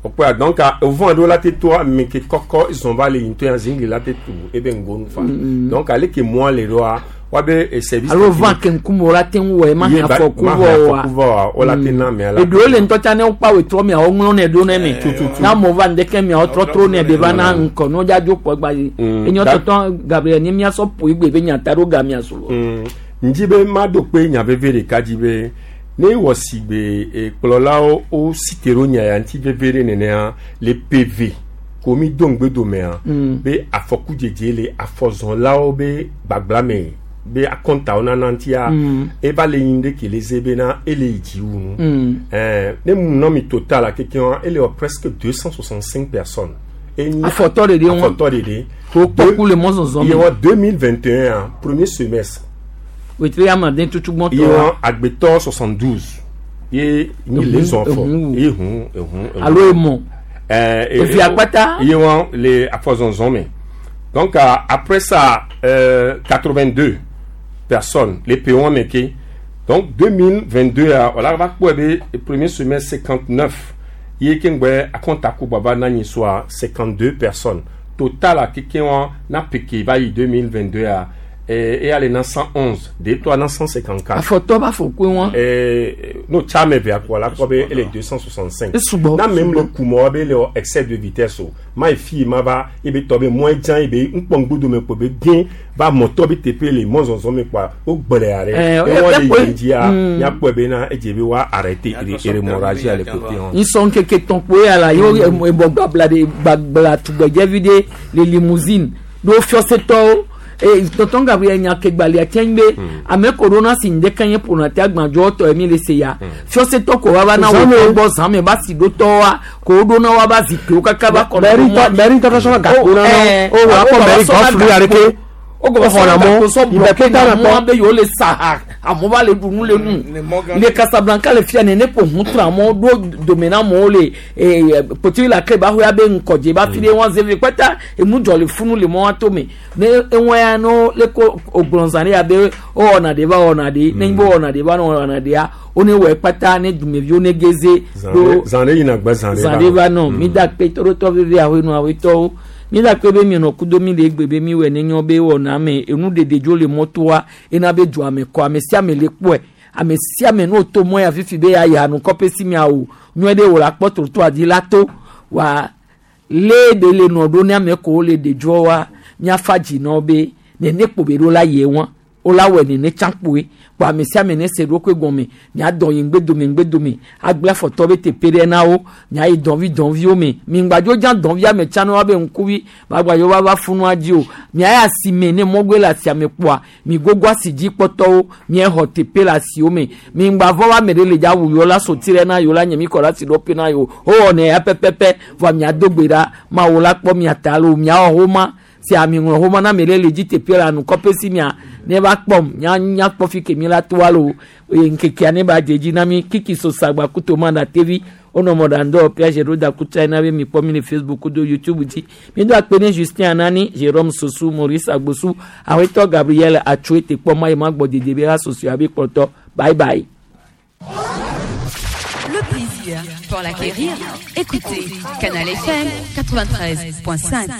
O kpɔa donc o vã ɖo la te toa ame ke kɔkɔ zɔn va le ŋutɔ ya zingli la te tu ebe ŋgonu fa Mm. donc ale ke mɔa le ɖoa wa be eh, service alo vã ke ŋkume wo la te ŋu wɔ ye ma Ye hã ba- afɔku ma vɔ hã wa afɔku vɔ wa, wo la te na amea la. eɖewo le ŋutɔ tsã ne wokpa wetrɔ mia woŋlɔ nɛ ɖo ne me ne amewo va ŋdeke mia wotrɔ tro nɛ ɖe va na ŋkɔ ne wodza dzo kpɔ gba yi Mm. enyo Da- tɔtɔ Gabriel ne miasɔ ƒo igbe be nyata ɖo ga mia solo. Mm. ŋdzi be maɖo kpe nya veve ɖeka dzi be ne wɔ si gbe eh, kplɔlawo wo si te ɖo nya ya ŋuti veve ɖe nenea le PV ko mi do ŋgbe domea Mm. be afɔku dzedze le afɔzɔlawo be gbagbla me be akɔntawo nana ŋutia Mm. eva le nyi ɖe ke le ze bena ele yi dzi wu nu Mm. Eh, ne mu nɔ mi total la kekeŋ ele wɔ presque deux cent soixante cinq personnes Enyi- Afɔtɔ ɖeɖe ŋu. afɔtɔ ɖeɖe Ko kpɔku le mɔzɔzɔ me. ye wɔ deux mille vingt et un premier semestre wetri ame den tutu gbɔtɔ ye wɔ agbetɔ soixante douze ye nyi le zɔn fɔ Ehun, ye hun ehun ehun. Alo emɔ. Ɛɛ Evi akpata? ye wɔ le afɔzɔzɔn me Donc euh, après ça, euh, quatre-vingt-deux personnes, les P un meke. Donc deux mille vingt-deux, euh, on va quoi le premier semestre cinquante-neuf. Ye kengbe akonta ku baba nani soit cinquante-deux personnes. Total à quelqu'un na piqué va y deux mille vingt-deux à et et aller dans cent onze, des toi dans cent cinquante-quatre. Afɔtɔ b'a fɔ ko wọn. Et no chame ve akwa la quoi be ele deux cent soixante-cinq. Esubɔ, Na même esubɔ. Le kumo be le excès de vitesse o. Ma fi ma va e be tobe moins jan e be nkpongbudo me ko be bien va moto be tepe le mo zonzon me kwa o gbere are. Eh, E won eh, le eh, yi dia mm. ya po be na e je be wa arrêter et hémorragie à le côté. Nsɔn keke tɔn kpoe ala yo ebɔ gbabla de gbabla tugbɛdzevi de le limousine ɖo fiɔsetɔwo e tɔntɔn Gabriel nya ke gbalia tiɛn be ame ko ɖo na si ŋdɛ kɛnyɛ ƒona te agbadzɔ tɔ emi le se ya fiɔsetɔ ko wa va na wo Zãme. gbɔ zãme ba si ɖo tɔwa ko wo ɖo na wa ba zikpuiwo kaka ba kɔnɔ Mairie tɔ- mairie international gakpo na Eh, o wa kɔ mairie golf lu yare ke o o xɔna mɔ ìbẹ ìbẹ na na mɔ kpɔ be yewo le sa ha amewo va le ɖu nu le nu le Casablanca le fia nene ƒo ʋu tra amewo ɖo dome na amewo le ee potui la ke ba xoya be ŋkɔdze ba fi ɖe wɔn zeve kpata enu dzɔ le funu le mɔ wa to me ne ewɔn ya no le ko ogblɔzã ɖe ya be o wɔna ɖe va wɔna ɖe ne be wɔna ɖe va wɔna ɖea wo ne wɔ kpata ne dumeviwo ne geze ɖo Zan ɖe yina gbe zan ɖe zã ɖe va nɔ mi da kpe tɔɖotɔ veve ahoenu awetɔwo mi da kpe be mienɔ kudo mi le egbe be mi wɔ ne nyɔ be wɔna ame enu ɖeɖe dzo le mɔtoa ena be dua me kɔ ame sia ame le kpɔe ame sia ame n'o to mɔ ya fifi be ya yi anukɔƒe si mia o nyɔe ɖe wò la kpɔ trottoir dzi la to wa lé ɖe le nɔ ɖo ne ame ko le ɖe dzɔ wa miafa dzi nɔ be nene kpo be ɖo la yie wɔn o la wɔ nene tsã kpoe kpo ame sia ame ne se ɖokui gɔme miadɔ yi ŋgbedome ŋgbedome agble afɔtɔ be teƒe ɖe na wo miayi dɔnvi dɔnviwo me mi ŋgbadzo dza dɔnvia me tsã ne woabe ŋkuvi magbadzo va va funua dzi o miayi asime ne mɔgoe le asiame kpoa mi gogo asi dzi kpɔtɔwo miexɔ teƒe le asiwo me mi ŋgbavɔ wa ame ɖe le dza wu yewo la soti ɖe na yewo la nye mi kɔ ɖe asi ɖoƒe na yewo wowɔnɛ ya pɛpɛpɛ vɔa miado gbe ɖa mawo la kpɔ mia ta lo miawɔ homa si ami ŋlɔ xɔmɔ na mi le le dzi teƒe le anukɔƒe si mia ne va kpɔm nya nya kpɔ fi ke mi la toa lo eye ŋkekea ne ba dze dzi na mi kiki sosa gba kuto ma na tevi wonɔ mɔɖaŋdɔ piage ɖo da kutsa na be mi kpɔ mi le Facebook kudo YouTube dzi mi do akpe ne Justin Anani, Jérôme Sosu, Maurice Agbosu, awetɔ Gabriel Atsoe te kpɔ ma yi ma gbɔ dede be ha soso abe kplɔtɔ. Bye bye. Le plaisir, pour l'acquérir, écoutez Canal F M quatre-vingt-treize point cinq.